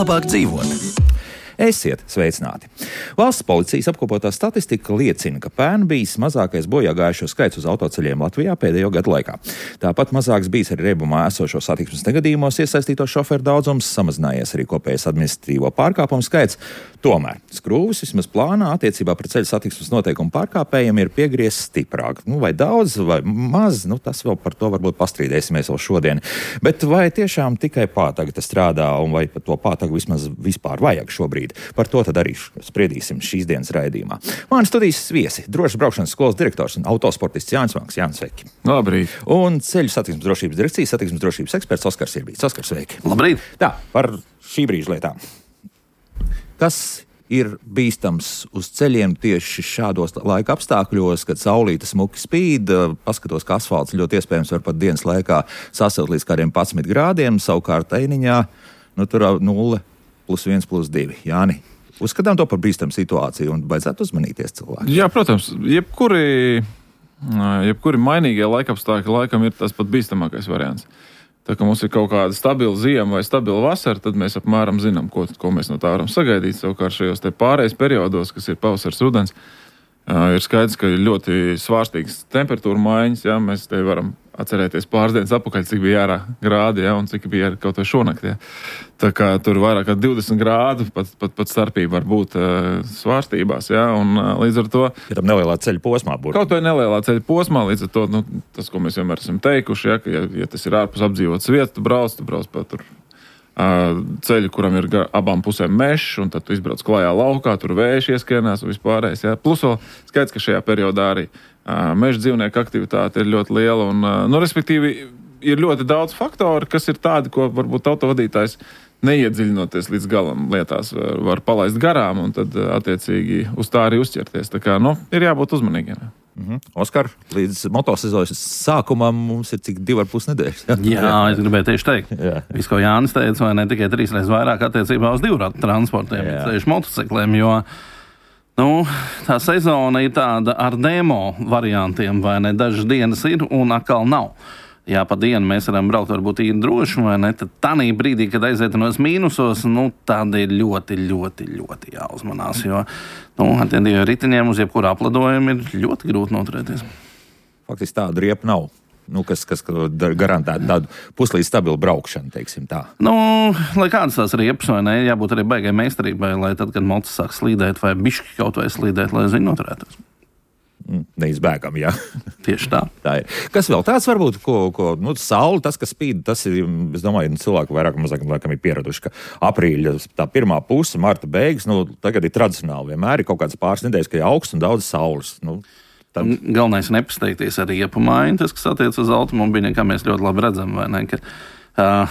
labāk dzīvot. Esiet sveicināti! Valsts policijas apkopotā statistika liecina, ka pērn bijis mazākais bojāgājušo skaits uz autoceļiem Latvijā pēdējo gadu laikā. Tāpat mazāks bijis arī riebumā esošo satiksmes negadījumos iesaistīto šoferu daudzums, samazinājies arī kopējais administratīvo pārkāpumu skaits. Tomēr skrūvis vismaz plānā attiecībā pret ceļu satiksmes noteikumu pārkāpējiem ir piegriezts stiprāk. Vai daudz, vai maz, tas vēl par to varbūt pastrīdēsimies vēl šodien. Bet vai tiešām tikai pātaga tas strādā, un vai par to pātagu vismaz vispār vajag šobrīd? Par to tad arī spriedīsim šīs dienas raidījumā. Mani studijas viesi, drošas braukšanas skolas direktors un autosportists Jānis Vanks. Jānis, sveiki! Labrīt! Un ceļu satiksmes drošības direkcijas satiksmes drošības eksperts Oskars Irbīts. Oskars, sveiki! Labrīt! Tā, par šī brīža lietām. Kas ir bīstams uz ceļiem tieši šādos laika apstākļos, kad saulīte smuki spīd, paskatos, ka asfalts ļoti iespējams var pat dienas laikā sasilt līdz kādiem 11 grādiem, savukārt Einiņā, tur 0 plus 1 plus 2. Jāni, uzskatām to par bīstamu situāciju un vajadzētu uzmanīties cilvēkiem. Jā, protams, jebkuri mainīgie laikapstākļi laikam ir tas pat bīstamākais variants. Tā kā mums ir kaut kāda stabila ziema vai stabila vasara, tad mēs apmēram zinām, ko mēs no tā varam sagaidīt. Savukārt šajos te pārējais periodos, kas ir pavasars, rudens, ir skaidrs, ka ir ļoti svārstīgas temperatūra maiņas. Jā, mēs te varam atcerēties pāris dienas atpakaļ, cik bija ārā grādi, jā, un cik bija kaut vai šonakt. Jā. Tā kā tur vairāk kā 20 grādu, pat starpība var būt svārstībās, jā, un līdz ar to... Ja tam nelielā ceļa posmā būtu. Kaut vai nelielā ceļa posmā, līdz ar to, tas, ko mēs vienmēr esam teikuši, jā, ka ja tas ir ārpus apdzīvotas vietas, tu brauc pa tur ceļu, kuram ir abām pusēm mešs, un tad tu izbrauc klājā laukā, tur vējš ieskrienās un vispārējais, jā. Plus vēl skaidrs, ka šajā periodā arī meža dzīvnieku aktivitāte ir ļoti liela, un, respektīvi, ir ļoti daudz faktoru, kas ir tādi, ko varbūt autovadītājs neiedziļinoties līdz galam lietās var palaist garām, un tad, attiecīgi, uz tā arī uzķerties. Tā kā, ir jābūt uzmanīgiem. Oskar, līdz motosezonas sākumam mums ir cik 2,5 nedēļas. Jā, es gribēju tieši teikt. Viss, ko Jānis teica, vai ne tikai 3 reizes vairāk attiecībā uz divratu transportiem, ceļu motocikliem, jo tā sezona ir tāda ar demo variantiem, vai ne, dažas dienas ir un atkal nav. Jā, pa dienu mēs varam braukt varbūt īri droši, vai ne, tad tanī brīdī, kad aizietenos mīnusos, tad ir ļoti, ļoti, ļoti jāuzmanās, jo, ar tiem diviem ritiņiem uz jebkuru apladojumu ir ļoti grūti noturēties. Faktiski tāda riepa nav. Kas garantētu tādu puslīdz stabilu braukšanu, teiksim tā. Lai kādas tās riepas, vai ne, jābūt arī baigai meistarībai, lai tad, kad mocis sāk slīdēt vai bišķi kaut vai slīdēt, lai viņi noturētos. Neizbēgam, jā. Tieši tā. Tā ir. Kas vēl tāds varbūt, ko saule, tas, kas spīd, tas ir, es domāju, cilvēki vairāk mazāk laikam ir pieraduši, ka aprīļa tā pirmā puse, marta beigas, tagad ir tradicionāli. Vienmēr ir kaut kāds pāris nedēļas, ka ir augsts un daudz saules. Tad... Galvenais ir nepasteigties ar riepu maiņu, tas, kas attiec uz automobiļiem, kā mēs ļoti labi redzam, vai ne, ka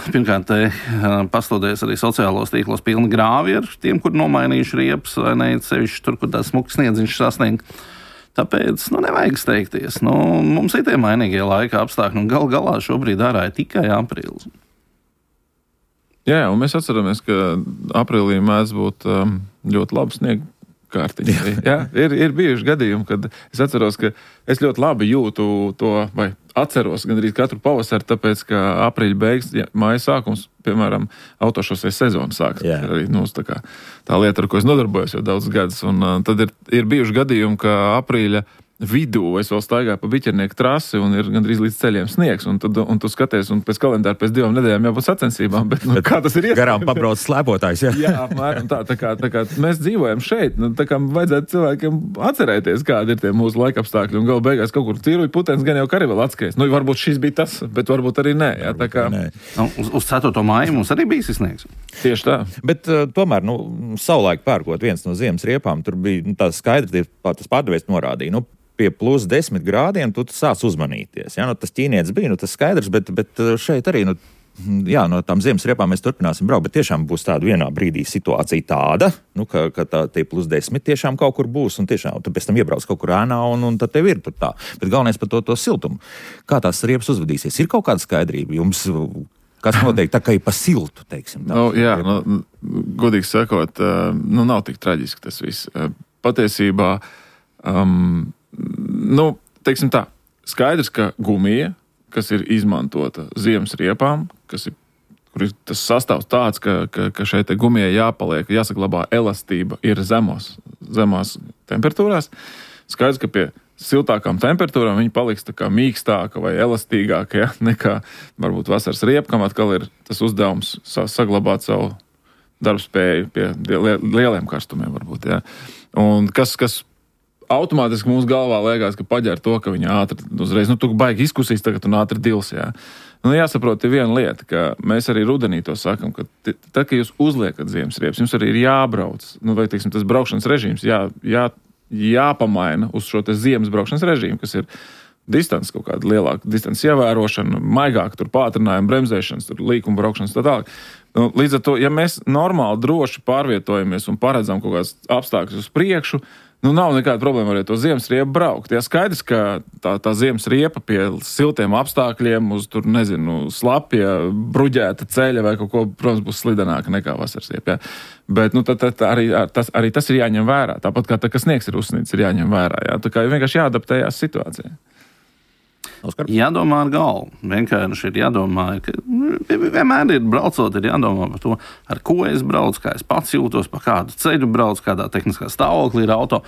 pirmkārt, pastoties arī sociālos tīklos pilni grāvi ar tiem, kur nomainījuši riepas, vai ne, sevišķi tur, kur tā smuks sniedziņš sasniegt. Tāpēc, nevajag steigties. Mums ir tie mainīgie laika apstākļi, un galā šobrīd ārā ir tikai aprīlis. Jā, un mēs atceramies, ka aprīlī mēdz būt ļoti labi sniega kārtiņa. Jā, ir bijuši gadījumi, kad es atceros, ka es ļoti labi jūtu to, vai atceros gandrīz katru pavasaru, tāpēc, ka aprīļa beigas, māja sākums, piemēram, autošosei sezona sāks. Arī, tā lieta, ar ko es nodarbojos jau daudz gadus, un tad ir bijuši gadījumi, ka aprīļa vidū es vēl staigāju pa Biķernieku trasi un ir gandrīz līdz ceļiem sniegs, un tu skaties, un pēc kalendāra pēc 2 nedēļām jābūt sacensībām, bet kā tas ir iespējams? Garām pabrauc slēpotājs, jā. Jā, apmēram tā kā mēs dzīvojam šeit, tā kā vajadzētu cilvēkiem atcerēties, kādi ir tie mūsu laikapstākļi, un galu beigās kaut kur cīruļu putens gan jau ka arī vēl atskries. Varbūt šis bija tas, bet varbūt arī nē. Jā, tā kā... Uz 4. māju mums arī bija sniegs. Tieši tā. Bet tomēr, savulaik pērkot viens no ziemas riepām, tur bija tā skaidri, tas pārdevējs norādīja, pie plus 10 grādiem tu sāc uzmanīties. Jā, tas ķīnietis bija, tas skaidrs, bet šeit arī, no tām ziemas riepām mēs turpināsim braukt, bet tiešām būs tāda vienā brīdī situācija tāda, ka tie plus 10 tiešām kaut kur būs, un tiešām tu pēc tam iebrauc kaut kur ēnā, un tad tev ir tur tā. Bet galvenais par to siltumu. Kā tās riepas uzvedīsies? Ir kaut kāda skaidrība jums, kas notiek tā, ka ir pa siltu, teiksim tā? Godīgi sakot, nav tik traģiski tas viss. Patiesībā, teiksim tā, skaidrs, ka gumija, kas ir izmantota ziemas riepām, kas ir kur ir tas sastāvs tāds, ka šeit gumijai jāpaliek, jāsaglabā elastība ir zemās temperatūrās. Skaidrs, ka pie siltākām temperatūrām viņi paliks tā kā mīkstāka vai elastīgāka, ja, nekā varbūt vasaras riepa, kam atkal ir tas uzdevums saglabāt savu darbspēju pie lieliem karstumiem varbūt, ja. Un kas automātiski mūsu galvā liekas, ka paģēr to, ka viņa ātri uzreiz, tu baigi izkusīs, tagad un ātri dils, jā. Jāsaprot ir viena lieta, ka mēs arī rudenī to sakam, ka tad, kad jūs uzliekat ziemas riepas, jums arī ir jābrauc, vai, teiksim, tas braukšanas režīms jāpamaina uz šo te ziemas braukšanas režīmu, kas ir distance, kaut kāda lielāka distance ievērošana, maigāk tur pātrinājuma, bremzēšanas, tur līkuma braukšanas, tā tālāk. Līdz ar to, ja mēs normāli droši pārvietojamies un paredzam kaut kādas apstākļus uz priekšu, nav nekāda problēma arī to ziemas riepu braukt. Jā, skaidrs, ka tā ziemas riepa pie siltiem apstākļiem uz tur, slapja, bruģēta ceļa vai kaut ko, protams, būs slidenāka nekā vasaras riepa. Jā. Bet arī tas ir jāņem vērā. Tāpat kā kas sniegs ir uzsnīts, ir jāņem vērā. Jā. Tā kā vienkārši jāadaptējās situācijai. Oskar? Jādomā ar galvu. Vienkārši ir jādomā, ka vienmēr ir braucot, ir jādomā par to, ar ko es braucu, kā es pats jūtos, pa kādu ceļu braucu, kādā tehniskā stāvoklī ir auto.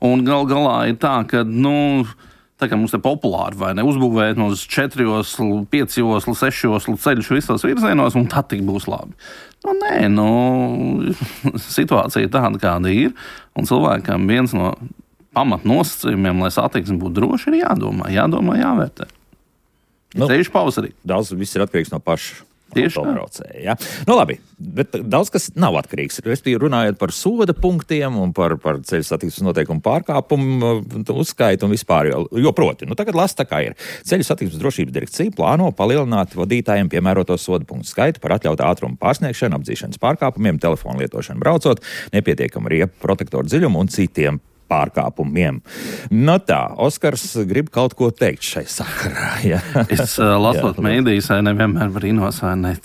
Un galā ir tā, ka, tā kā mums te populāri, vai ne, uzbūvēt no 4 joslu, 5 joslu, 6 joslu ceļus visos virzienos, un tad tik būs labi. Situācija ir tāda, kāda ir, un cilvēkam viens no pamatnosacījumiem, lai satiksme būtu droši, ir jādomā, jāvērtē. Ceļš pavasarī. Daudz viss ir atkarīgs no paša autobraucēja. Ja? Labi, bet daudz kas nav atkarīgs. Respektīvi runājot par soda punktiem un par ceļu satiksmes noteikumu pārkāpumu uzskaitu un vispār. Jo proti, tagad lasa tā kā ir. Ceļu satiksmes drošības direkcija plāno palielināt vadītājiem piemēroto soda punktu skaitu par atļautu ātrumu pārsniegšanu, apdzīšanas pārkāpumiem, telefonu lietošanu braucot, nepietiekamu riepu protektoru dziļumu un citiem pārkāpumiem. Tā, Oskars grib kaut ko teikt šai sakarā. Ja? Es lasot mēdījus, nevienmēr brīnos,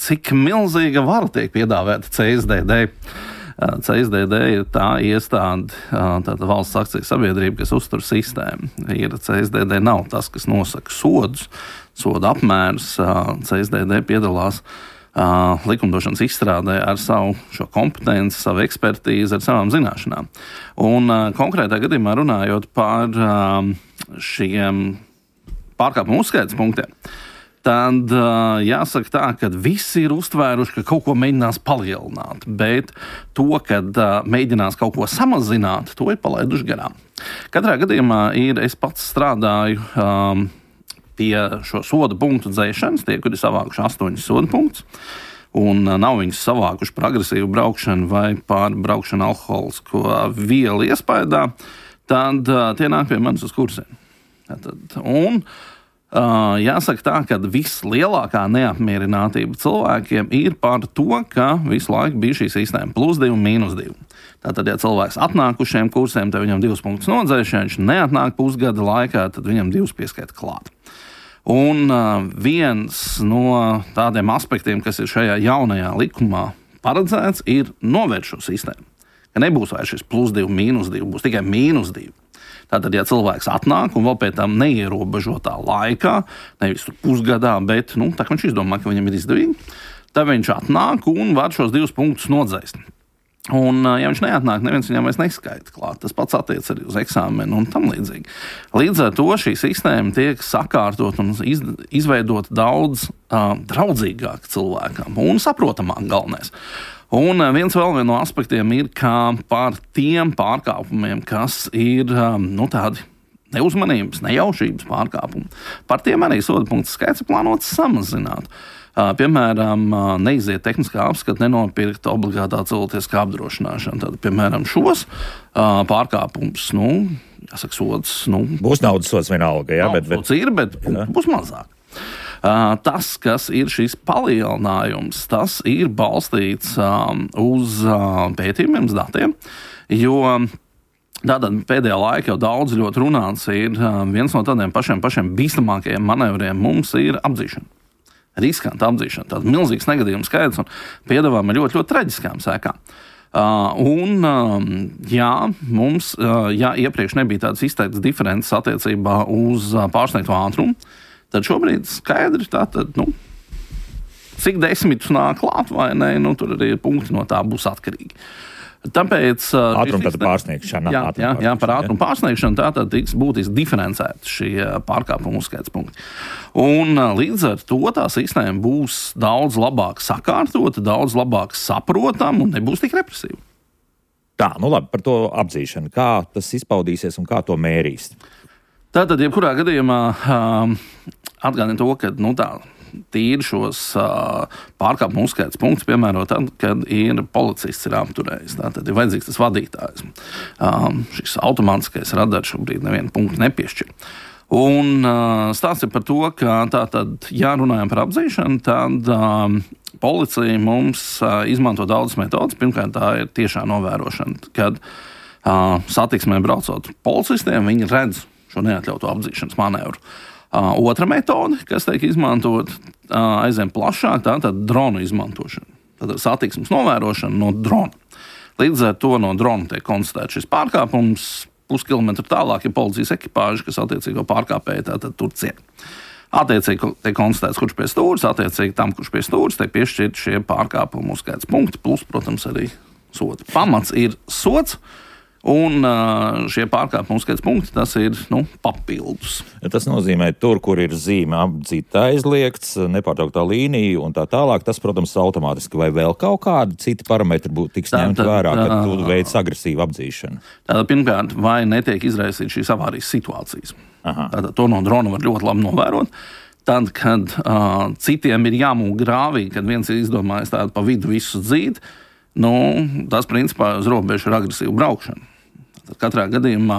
cik milzīga vara tiek piedāvēta CSDD. CSDD ir tā iestāde, tāda valsts akciju sabiedrība, kas uztur sistēmu. CSDD nav tas, kas nosaka sodus, soda apmērus. CSDD piedalās likumdošanas izstrādē ar savu šo kompetenci, savu ekspertīzi, ar savām zināšanām. Un konkrētā gadījumā runājot par šiem pārkāpumu uzskaites punktiem, tad jāsaka tā, ka visi ir uztvēruši, ka kaut ko mēģinās palielināt, bet to, kad mēģinās kaut ko samazināt, to ir palaiduši garām. Katrā gadījumā es pats strādāju pie šo soda punktu dzēšanas, tie, kuri savākuši 8 soda punktus, un nav viņus savākuši par agresīvu braukšanu vai par braukšanu alkoholisko vielu iespaidā, tad tie nāk pie manis uz kursiem. Un jāsaka tā, ka vislielākā neapmierinātība cilvēkiem ir par to, ka visu laiku bija šī sistēma +2 un -2. Tātad, ja cilvēks atnāk uz šiem kursiem, tad viņam 2 punktus nodzēš, ja viņš neatnāk pusgada laikā, tad viņam 2 pieskaita klāt. Un viens no tādiem aspektiem, kas ir šajā jaunajā likumā paredzēts, ir novērst šo sistēmu. Ka nebūs vairs šis +2, -2, būs tikai -2. Tātad, ja cilvēks atnāk un vēl pēc tam neierobežotā laikā, nevis pusgadā, bet tā kā viņš izdomā, ka viņam ir izdevīgi, tad viņš atnāk un var šos 2 punktus nodzēst. Un, ja viņš neatnāk, neviens viņam vairs neskaita klāt. Tas pats attiec arī uz eksāmenu un tam līdzīgi. Līdz ar to šī sistēma tiek sakārtot un izveidot daudz draudzīgāk cilvēkam un saprotamāk galvenais. Un viens no aspektiem ir, ka par tiem pārkāpumiem, kas ir tādi neuzmanības, nejaušības pārkāpumi, par tiem arī soda punktu skaits plānots samazināt. Piemēram, neiziet tehniskā apskata, nenopirkt obligātā cilvēciskā apdrošināšana. Tad, piemēram, šos pārkāpumus, jāsaka, sods. Būs naudas sods vienalga, jā, bet būs mazāk. Tas, kas ir šis palielinājums, tas ir balstīts uz pētījumiem, uz datiem, jo tātad pēdējā laikā jau daudz ļoti runāts ir viens no tādiem pašiem bīstamākajiem manevriem mums ir apdzīšana. Riskanta apdzīšana, tāds milzīgs negadījums skaits un piedāvājumi ir ļoti, ļoti traģiskām sekām. Mums, iepriekš nebija tādas izteiktas diferences attiecībā uz pārsniegto ātrumu, tad šobrīd skaidri tātad, cik 10 nāk klāt vai ne, nu, tur arī punkti no tā būs atkarīgi. Tāpēc ātruma pārsniegšana. Jā, par ātrumu pārsniegšanu tātad tiks būtiski diferencēti šie pārkāpumu uzskaits punkti. Un līdz ar to tā sistēma būs daudz labāk sakārtota, daudz labāk saprotama un nebūs tik represīva. Tā, nu labi, par to apzīšanu. Kā tas izpaudīsies un kā to mērīs? Tātad, jebkurā gadījumā atgādina to, ka tīri šos pārkāpumu uzskaits punktus piemēro tad, kad policists ir apturējis. Tātad ir vajadzīgs tas vadītājs. Šis automātiskais radars šobrīd nevienu punktu nepiešķir. Un stāsts ir par to, ka tātad, ja runājam par apzīšanu, tad policija mums izmanto daudzas metodas. Pirmkārt, tā ir tiešā novērošana, kad satiksmē braucot policistiem, viņi redz šo neatļautu apzīšanas manevru. Otra metode, kas tiek izmantot, aizvien plašāk, tā ir dronu izmantošana. Tātad satiksmes novērošana no drona. Līdz ar to no drona tiek konstatēts šis pārkāpums, puskilometru tālāk ir policijas ekipāži, kas attiecīgo pārkāpēju tātad tur ciet. Attiecīgi tiek konstatēts, kurš pie stūres, attiecīgi tam, kurš pie stūres, tiek piešķirt šie pārkāpumu uzskaits punkti, plus, protams, arī sodi. Pamats ir sods. Un šie pārkāpumu uzskaits punkti, tas ir papildus. Tas nozīmē, tur, kur ir zīme apdzīt aizliegts, nepārtrauktā līnija un tā tālāk, tas, protams, automātiski vai vēl kaut kādi citi parametri tiks ņemt vērā, kad tu veic agresīvu apdzīšanu. Tātad, pirmkārt, vai netiek izraisīt šīs avārijas situācijas. Tātad, to no drona var ļoti labi novērot. Tad, kad citiem ir jāmūk grāvī, kad viens ir izdomājis tādu pa vidu visu dzīt, tas principā uz robežu ir agresīva braukšana. Tad katrā gadījumā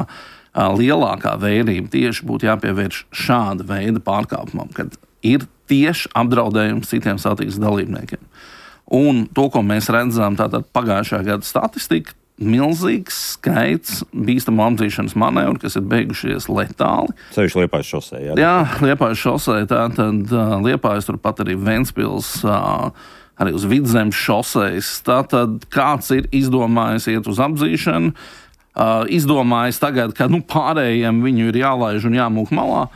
lielākā vērība tieši būtu jāpievērš šāda veida pārkāpumam, kad ir tieši apdraudējums citiem satiksmes dalībniekiem. Un to, ko mēs redzam, tātad pagājušā gada statistika, milzīgs skaits bīstamu apdzīšanas manevru, kas ir beigušies letāli. Ceļš Liepājas šosē, jā? Jā, Liepājas šosē, tātad Liepājas turpat arī Ventspils, arī uz Vidzemes šosejas. Tātad kāds ir izdomājis iet uz apdzīšanu, izdomājis tagad, ka pārējiem viņu ir jālaiž un jāmūk malā.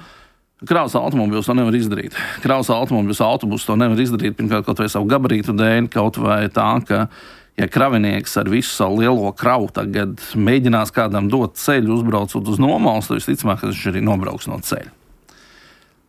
Kravas automobīls to nevar izdarīt. Kravas automobīls autobus to nevar izdarīt, pirmkārt, kaut vai savu gabarītu dēļ, kaut vai tā, ka, ja kravinieks ar visu savu lielo kravu tagad mēģinās kādam dot ceļu, uzbraucot uz nomalu, tad visticamāk, ka viņš arī nobrauks no ceļa.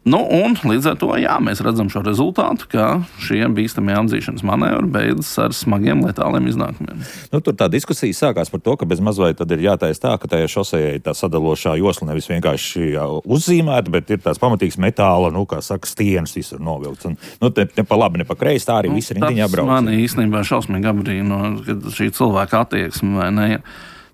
Un līdz ar to, jā, mēs redzam šo rezultātu, ka šie bīstamie apdzīšanas manevri beidzas ar smagiem letāliem iznākumiem. Tur tā diskusija sākās par to, ka bez mazliet tad ir jātaisa tā, ka tajā šosejai tā sadalošā josla nevis vienkārši uzzīmēta, bet ir tās pamatīgs metāla, kā saka, stienas visur novilkts. Un, ne pa labi, ne pa kreisi, tā arī viss rindiņā brauc. Tas man īstenībā šausmīgi apbrīno, kad šī cilvēka attieksme vai ne.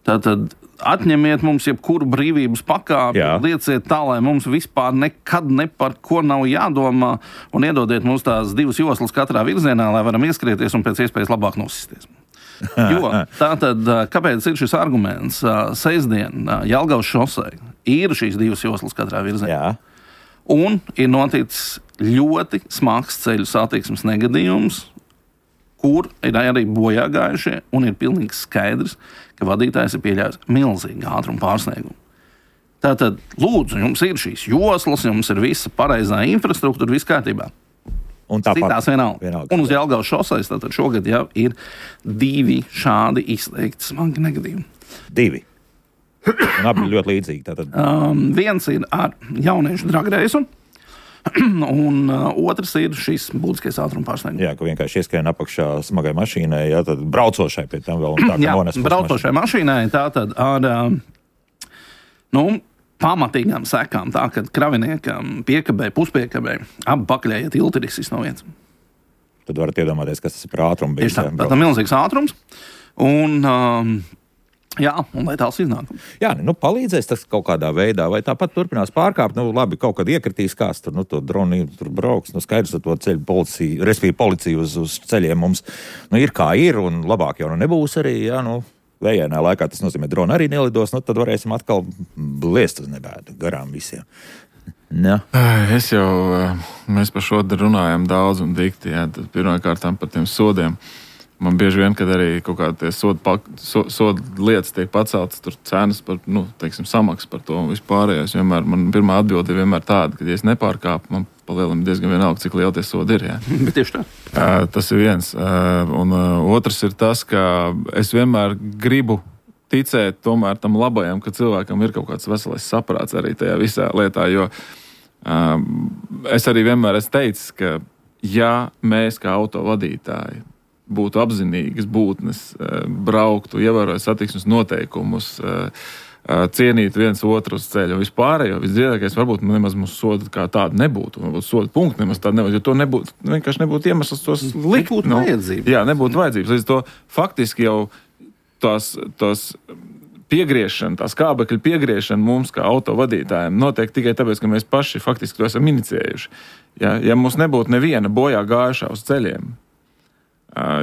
Tātad atņemiet mums jebkuru brīvības pakāpi, lieciet tā, lai mums vispār nekad ne par ko nav jādomā, un iedodiet mums tās 2 joslas katrā virzienā, lai varam ieskrieties un pēc iespējas labāk nosisties. Jo tātad, kāpēc ir šis arguments? Sestdien Jelgavas šosei ir šīs 2 joslas katrā virzienā. Jā. Un ir noticis ļoti smags ceļu satiksmes negadījums, kur ir arī bojā gājušie, un ir pilnīgi skaidrs, ka vadītājs ir pieļāvis milzīgu ātrumu pārsniegumu. Tātad, lūdzu, jums ir šīs joslas, jums ir visa pareizā infrastruktūra, viss kārtībā. Citās vienalga. Un uz Jelgavas šosejas tātad šogad jau ir 2 šādi izteikti smagi negadījumi. 2. Un abi ļoti līdzīgi. Tātad. Viens ir ar jauniešu dragreisu, un otrs ir šis būtiskais ātruma pārsniegums. Jā, ka vienkārši ieskrien apakšā smagai mašīnai, tad braucošai pie tam vēl un tā, ka nones braucošai mašīnai, tātad ar pamatīgām sekām, tā, kad kraviniekam piekabē, puspiekabē, abi pakaļējie tilti ir izsis no vietas. Tad varat iedomāties, kas tas ir par ātrumu. Tieši tā, tātad milzīgs ātrums, un jā, un lai tāls iznākums. Jā, palīdzēs tas kaut kādā veidā, vai tāpat turpinās pārkāpt, labi, kaut kad iekritīs kāds tur, to droni tur brauks, skaidrs, to ceļu policija, respektīvi policija uz ceļiem mums, ir kā ir, un labāk jau nebūs arī, jā, vējainā laikā tas nozīmē, droni arī nelidos, tad varēsim atkal bliest uz nebēdu garām visiem. Jā. Mēs par šo runājam daudz un dikti, jā, tad pirmkārtām par tiem sodiem. Man bieži vien, kad arī kaut kādi soda lietas tiek paceltas, tur cenas par, samaksas par to un vispārējais. Man pirmā atbilde ir vienmēr tāda, ka, ja es nepārkāpu, man palielam diezgan vienalga, cik liela tie sodi ir. Jā. Bet tieši tā. Tas ir viens. Un otrs ir tas, ka es vienmēr gribu ticēt tomēr tam labajam, ka cilvēkam ir kaut kāds veselais saprāts arī tajā visā lietā, jo es arī vienmēr esmu teicis, ka ja mēs kā autovadītāji būtu apzinīgas būtnes, brauktu, ievērojot satiksmes noteikumus, cienīt viens otru uz ceļu un vispārējo, visdziedākais varbūt nemaz mums soda kā tāda nebūtu, varbūt soda punkti nemaz tāda nebūtu, jo to nebūtu, vienkārši nebūtu iemesls tos likt. Nebūtu vajadzības. Jā, nebūtu vajadzības. Līdz to faktiski jau tās piegriešana, tā skābekļa piegriešana mums kā autovadītājiem notiek tikai tāpēc, ka mēs paši faktiski to esam iniciējuši. Ja mums nebūtu neviena bojā gājušā uz ceļiem,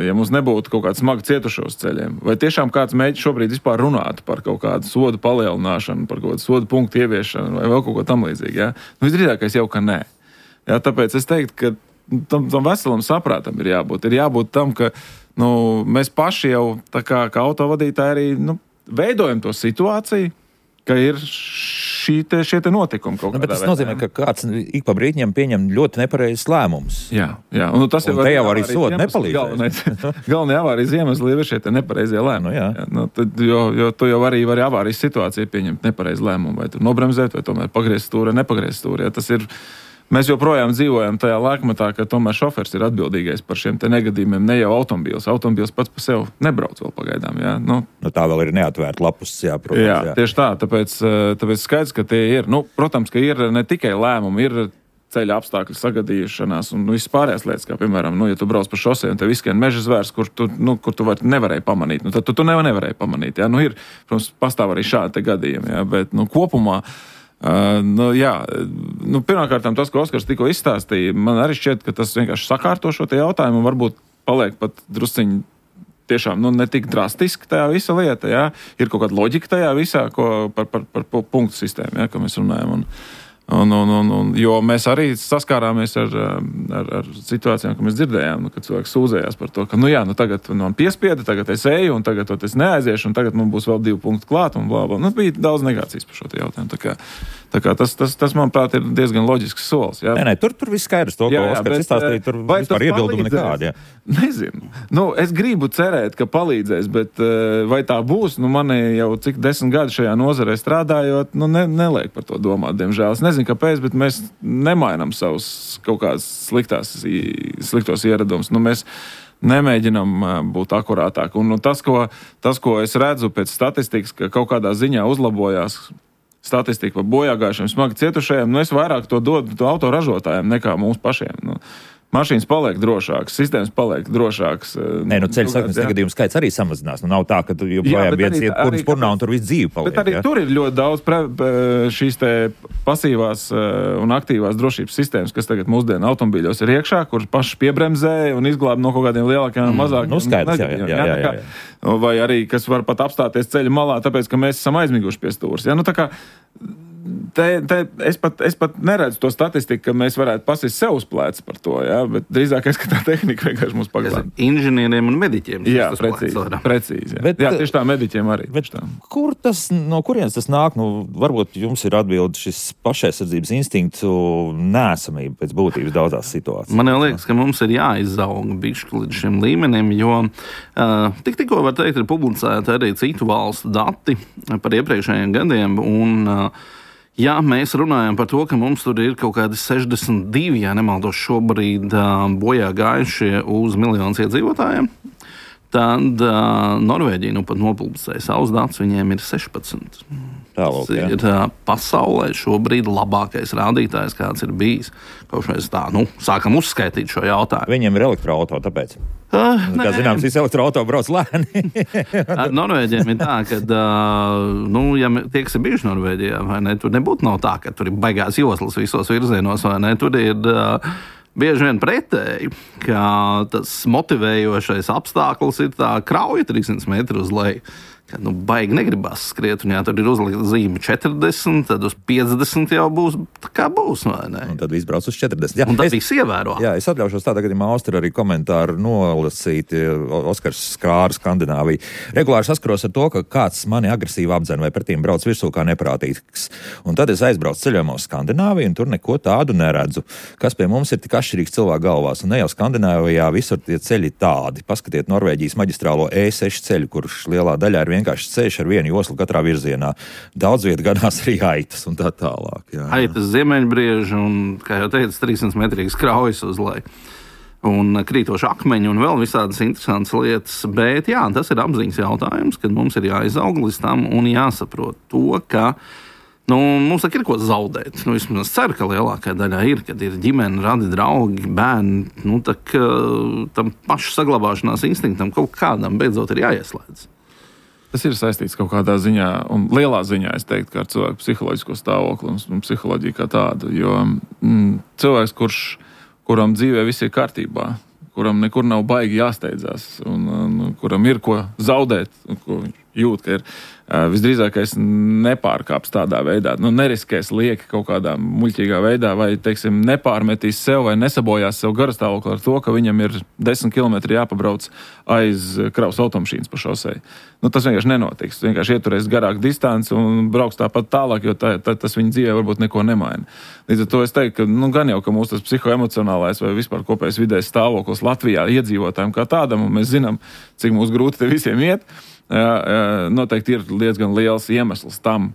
ja mums nebūtu kaut kāds smagi cietušo uz ceļiem, vai tiešām kāds mēģina šobrīd vispār runāt par kaut kādu sodu palielināšanu, par kaut kādu sodu punktu ieviešanu vai vēl kaut ko tam līdzīgi, ja? Visdrīzākais jau, ka nē. Ja, tāpēc es teiktu, ka tam veselam saprātam ir jābūt tam, ka mēs paši jau tā kā autovadītāji arī veidojam to situāciju, ka ir šie te notikumi kaut kādā veidā. Bet tas nozīmē, ka kāds ik pa brītņiem pieņem ļoti nepareizs lēmums. Jā. Un tas un te jau arī soda nepalīdzēs. Galvenā avārijas iemesli ir šie te nepareizie lēmumi. Jo tu jau arī vari avārijas situācijā pieņemt nepareizu lēmumu, vai tu nobremzēt, vai tomēr pagriezt stūri, nepagriezt stūri. Ja, tas ir. Mēs joprojām dzīvojam tajā laikmetā, ka tomēr šofers ir atbildīgais par šiem te negadījumiem, ne jau automobīls. Automobīls pats par sevi nebrauc vēl pagaidām. Jā. Tā vēl ir neatvērta lapus, protams. Jā, tieši tā. Tāpēc skaidrs, ka tie ir. Protams, ka ir ne tikai lēmumi, ir ceļa apstākļu sagadīšanās un viss pārējās lietas, kā piemēram, ja tu brauc pa šosei un tev izskrien meža zvērs, kur tu nevarēji pamanīt. Tad tu nevarēji pamanīt. Jā. Ir, protams, pastāv arī šādi gadījumi, jā, bet kopumā. Pirmkārt, tas, ko Oskars tikko izstāstīja, man arī šķiet, ka tas vienkārši sakārto šo te jautājumu un varbūt paliek pat drusciņi tiešām ne tik drastiski tajā visa lieta. Jā. Ir kaut kāda loģika tajā visā, par punktu sistēmu, jā, ko mēs runājam. Jo mēs arī saskārāmies ar situācijām, ko mēs dzirdējām, kad cilvēks sūdzējās par to, ka tagad man piespieda, tagad es eju, un tagad es neaiziešu, un tagad man būs vēl 2 punkti klāt, un blā, blā. Bija daudz negācijas par šo jautājumu. Tā kā tas, manuprāt, ir diezgan loģisks solis. Jā. Nē, tur viss skaidrs. To, ko Oskars izstāstīja, tur vispār iebildumi nekādi. Nezinu. Es gribu cerēt, ka palīdzēs, bet vai tā būs? Man jau cik 10 gadi šajā nozarē strādājot, neliek par to domāt, diemžēl. Es nezinu, kāpēc, bet mēs nemainam savus kaut kādas sliktos ieradumus. Mēs nemēģinam būt akurātāk. Un tas, ko es redzu pēc statistikas, ka kaut kādā ziņā uzlabojās statistika par bojāgājušiem, smagi cietušajiem, es vairāk to dodu autoražotājiem nekā mums pašiem. Mašīnas paliek drošākas, sistēmas paliek drošākas. Ceļu satiksmes negadījumu skaits arī samazinās. Nav tā, ka joprojām viens iet purns purnā un tur viss dzīve paliek. Bet arī tur ir ļoti daudz šīs te pasīvās un aktīvās drošības sistēmas, kas tagad mūsdienu automobīļos ir iekšā, kur paši piebremzē un izglāb no kaut kādiem lielākiem un mazākiem. Skaidrs, jā. Vai arī, kas var pat apstāties ceļa malā, tāpēc, ka mēs esam aizmiguši pie stūres. Es pat neredzu to statistiku, ka mēs varētu pasist sev uz pleca par to, jā, bet drīzākais, ka tā tehnika vienkārši mums paglāb. Inženieriem un mediķiem. Jā, precīzi. Jā, tieši tā, mediķiem arī. No kurienes tas nāk? Varbūt jums ir atbildi šis pašaizsardzības instinktu neesamība pēc būtības daudzās situācijās. Man jau liekas, ka mums ir jāizauga bišķi līdz šim līmenim, jo tikko var teikt, ir publicēti arī citu valstu dati par iepriekšējiem gadiem, un ja mēs runājam par to, ka mums tur ir kaut kādi 62, ja nemaldos šobrīd, bojā gājušie uz 1 miljonu iedzīvotājiem, tad Norvēģija pat nopublicēja savus datus, viņiem ir 16. Tālāk, tas ir pasaulē šobrīd labākais rādītājs, kāds ir bijis. Kopš mēs sākam uzskaitīt šo jautājumu. Viņiem ir elektroauto, tāpēc. Kā zināms, visi elektroauto brauc lēni. Ar Norvēģiem ir tā, ka, ja tie, kas ir bijuši Norvēģijā, vai ne, tur nebūtu tā, ka tur ir baigās joslas visos virzienos, vai ne, tur ir bieži vien pretēji, ka tas motivējošais apstākļus ir tā krauja 300 metru uz leju. Kad baigi negribas skriet, un ja tur ir uzlikta zīme 40, tad uz 50 jau būs tā kā būs, vai ne? Un tad viss brauc uz 40. Jā, un tad viss ievēro. Jā, es atļaušos tādā gadījumā Austri arī komentāru nolasīt. Oskars Skrāra, Skandināvija. Regulāri saskaros ar to, ka kāds mani agresīvi apdzen vai pretīm brauc virsū kā neprātīgs. Un tad es aizbraucu ceļojumā uz Skandināviju, un tur neko tādu neredzu. Kas pie mums ir tik atšķirīgs cilvēku galvās? Un ne jau Skandināvijā visur tie ceļi tādi. Paskatiet Norvēģijas maģistrālo E6 ceļu, kurš lielā daļā ir vienkārši ceļš ar vienu joslu katrā virzienā. Daudz viet ganās arī aitas un tā tālāk. Jā. Aitas, ziemeņbrieži un, kā jau teicu, 300 metrīgas kraujas uz leju. Un krītoši akmeņi un vēl visādas interesantas lietas. Bet jā, tas ir apziņas jautājums, kad mums ir jāizaug līdz tam un jāsaprot to, ka mums ir ko zaudēt. Vismaz es ceru, ka lielākā daļā ir, kad ir ģimene, radi, draugi, bērni. Tam pašu saglabāšanās instinktam kaut kādam beidzot ir jāieslēdz. Tas ir saistīts kaut kādā ziņā, un lielā ziņā, es teiktu, kā ar cilvēku psiholoģisko stāvokli un psiholoģiju kā tādu. Jo cilvēks, kuram dzīvē viss ir kārtībā, kuram nekur nav baigi jāsteidzās, un kuram ir ko zaudēt, ko jūt, ka ir visdrīzākais nepārkāps tādā veidā, neriskēs lieki kaut kādā muļķīgā veidā, vai, teiksim, nepārmetīs sev vai nesabojās sev garastāvokli ar to, ka viņam ir 10 kilometri jāpabrauc aiz kravas automašīnas pa šosei. Tas vienkārši nenotiks. Vienkārši ieturēs garāku distanci un brauks tāpat tālāk, jo tas viņa dzīvē varbūt neko nemaina. Līdz ar to es teiktu, ka gan jau, ka mūsu tas psihoemocionālais vai vispār kopējais vidējais stāvoklis Latvijā iedzīvotājiem kā tādam, un mēs zinām, cik mūs grūti te visiem iet, noteikti ir diezgan liels iemesls tam,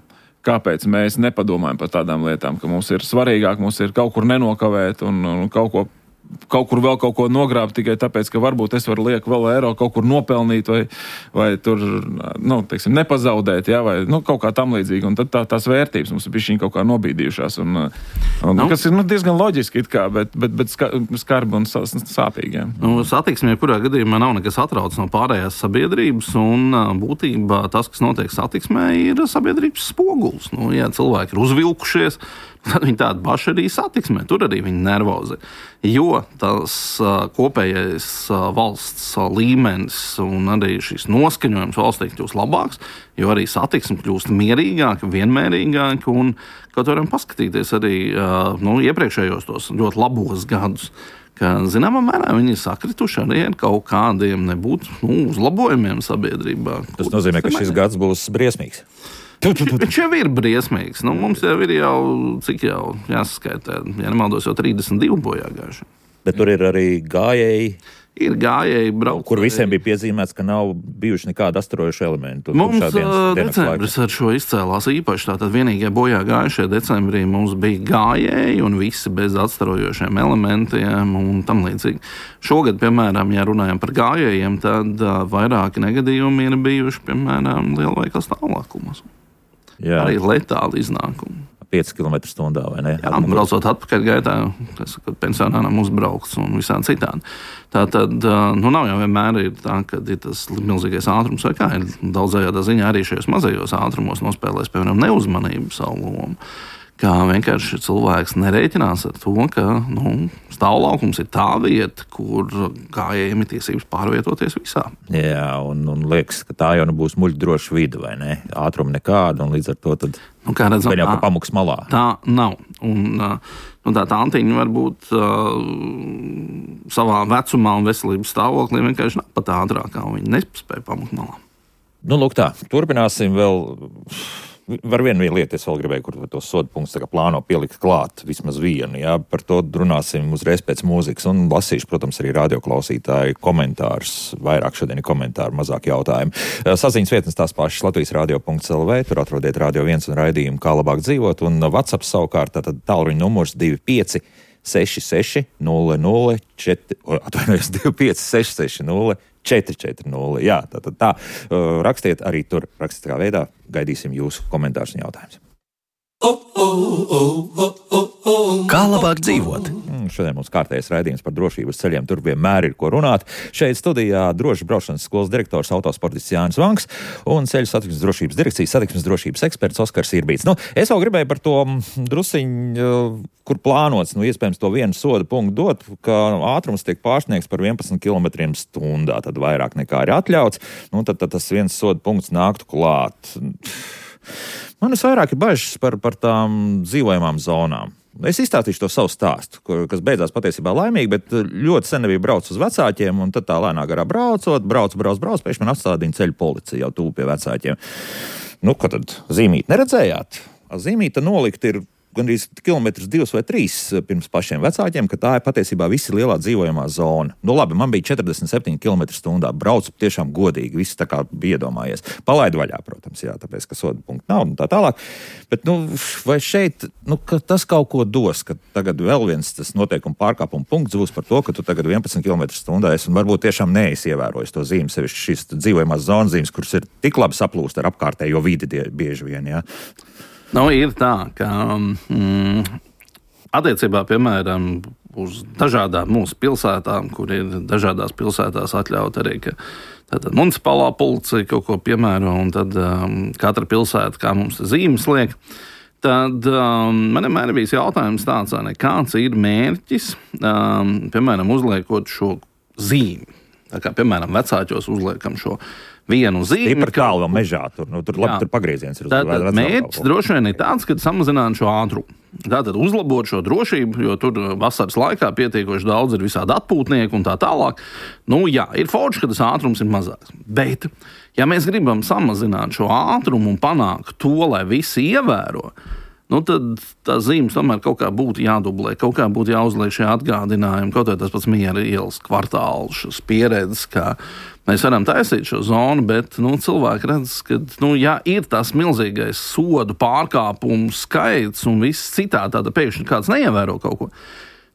kāpēc mēs nepadomājam par tādām lietām, ka mums ir svarīgāk, mums ir kaut kur nenokavēt un kaut kur vēl kaut ko nogrābt tikai tāpēc, ka varbūt es varu liek vēl eiro kaut kur nopelnīt vai tur, teiksim, nepazaudēt, jā, vai kaut kā tam līdzīgi. Un tad tās vērtības mums ir bišķiņ kaut kā nobīdījušās. Kas ir diezgan loģiski it kā, bet skarbi un sāpīgi. Jā. Satiksmē, kurā gadījumā nav nekas atrauc no pārējās sabiedrības, un būtībā tas, kas notiek satiksmē, ir sabiedrības spoguls. Ja cilvēki ir uzvilkušies, tad viņi tādi paši arī satiksmē, tur arī viņi nervozi. Jo tas kopējais valsts līmenis un arī šis noskaņojums valstī kļūst labāks, jo arī satiksme kļūst mierīgāka, vienmērīgāka, un kaut varam paskatīties arī iepriekšējos tos ļoti labos gadus, ka zināmā mērā viņi ir sakrituši arī ar kaut kādiem nebūtu uzlabojumiem sabiedrībā. Tas nozīmē, ka šis gads būs briesmīgs. Viņš jau ir briesmīgs. Mums jau ir cik jau jāsaskaitē, ja nemaldos, jau 32 bojā gājuši. Bet tur ir arī gājēji. Ir gājēji braukt. Kur visiem bija piezīmēts, ka nav bijuši nekāda astarojuša elementu. Mums decembris ar šo izcēlās īpaši. Tātad vienīgie bojā gājušie decembrī mums bija gājēji un visi bez atstarojošiem elementiem un tam līdzīgi. Šogad, piemēram, ja runājam par gājējiem, tad vairāki negadījumi ir bijuši, piemēram, lielveikals stāvoklimos. Jā. Arī letāli iznākumi. 5 km/h, vai ne? Jā, braucot atpakaļ gaitā, kad pensionāram uzbraukts un visādi citādi. Tātad, nav jau vienmēr ir tā, ka ir tas milzīgais ātrums vai kā, ir daudzējādā ziņā arī šajos mazajos ātrumos nospēlēs, piemēram, neuzmanību savu lomu. Kā vienkārši cilvēks nerēķinās ar to, ka stāvlaukums ir tā vieta, kur gājējiem ir tiesības pārvietoties visā. Jā, un liekas, ka tā jau būs muļķdroša vide, vai ne? Ātruma nekāda, un līdz ar to tad kā redzam, vēl jau pa pamuks malā. Tā nav. Un tā antiņa varbūt savā vecumā un veselības stāvoklī vienkārši nav pat ātrākā, un viņi nespēja pamukt malā. Lūk tā, turpināsim vēl. Var vienu lietu es vēl gribēju, kur to sodu punktus plāno pielikt klāt, vismaz vienu, jā, par to runāsim uzreiz pēc mūzikas, un lasīšu, protams, arī radioklausītāju komentārus, vairāk šodien ir komentāru, mazāk jautājumu. Saziņas vietnes tās pašas latvijas-radio.lv, tur atrodiet Radio 1 un raidījumu Kā labāk dzīvot, un WhatsApp savukārt, tātad tālruņa numurs 25 66 00 25 66 440. Jā, tā. Rakstiet arī tur, rakstiskā veidā. Gaidīsim jūsu komentārus un jautājumus. Kā labāk dzīvot? Šodien mums kārtējais raidījums par drošības ceļiem. Tur vienmēr ir ko runāt. Šeit studijā drošas braukšanas skolas direktors autosportists Jānis Vanks un ceļu satiksmes drošības direkcijas satiksmes drošības eksperts Oskars Irbīts. Es vēl gribēju par to drusiņu, kur plānots, iespējams to vienu soda punktu dot, ka ātrums tiek pārsniegts par 11 km/h, tad vairāk nekā ir atļauts. Tad tas viens soda punkts nāktu klāt. Man vairāk ir bažas par tām dzīvojamām zonām. Es izstāstīšu to savu stāstu, kas beidzās patiesībā laimīgi, bet ļoti sen nebija braucis uz vecākiem, un tad tā lēnā garā braucot, pēkšņi man atstādīja ceļu policija jau tuvu pie vecākiem. Ko tad zīmīt neredzējāt? Zīmīta nolikt ir gandrīz 2 vai 3 km pirms pašiem vecākiem, ka tā ir patiesībā visi lielā dzīvojamā zona. Labi, man bija 47 km/h, braucu tiešām godīgi, viss tā kā bija iedomājies. Palaidu vaļā, protams, jā, tāpēc, ka soda punktu nav un tā tālāk. Bet, vai šeit, ka tas kaut ko dos, ka tagad vēl viens tas noteikuma pārkāpuma punkts būs par to, ka tu tagad 11 km/h esi un varbūt tiešām neesi ievērojis to zīmi, sevišķi šīs dzīvojamās zonas zīmes, kuras ir tik labi saplūst ar apkārtējo vidi bieži vien, jā. Ir tā, ka attiecībā, piemēram, uz dažādām mūsu pilsētām, kur ir dažādās pilsētās atļaut arī, ka tātad municipālā policija kaut ko piemēro, un tad katra pilsēta, kā mums zīmes liek, tad man vienmēr ir bijis jautājums tāds, kāds ir mērķis, piemēram, uzliekot šo zīmi. Tā kā, piemēram, vecāķos uzliekam šo vienu zīmi. Par tālu mežā, tur pagrieziens ir. Tātad mērķis droši vien ir tāds, ka samazināt šo ātrumu. Tātad uzlabot šo drošību, jo tur vasaras laikā pietiekoši daudz ir visādi atpūtnieki un tā tālāk. Ir forši, ka tas ātrums ir mazāks. Bet, ja mēs gribam samazināt šo ātrumu un panākt to, lai visi ievēro, tad tās zīmes tomēr kaut kā būtu jādublē, kaut kā būtu jāuzliek šie atgādinājumi, kaut vai tas pats Miera ielas kvartāls, šis pieredzes, kā mēs varam taisīt šo zonu, bet cilvēki redz, ka ir tas milzīgais sodu pārkāpumu skaits un viss citādi, tāda pēkšņi kāds neievēro kaut ko.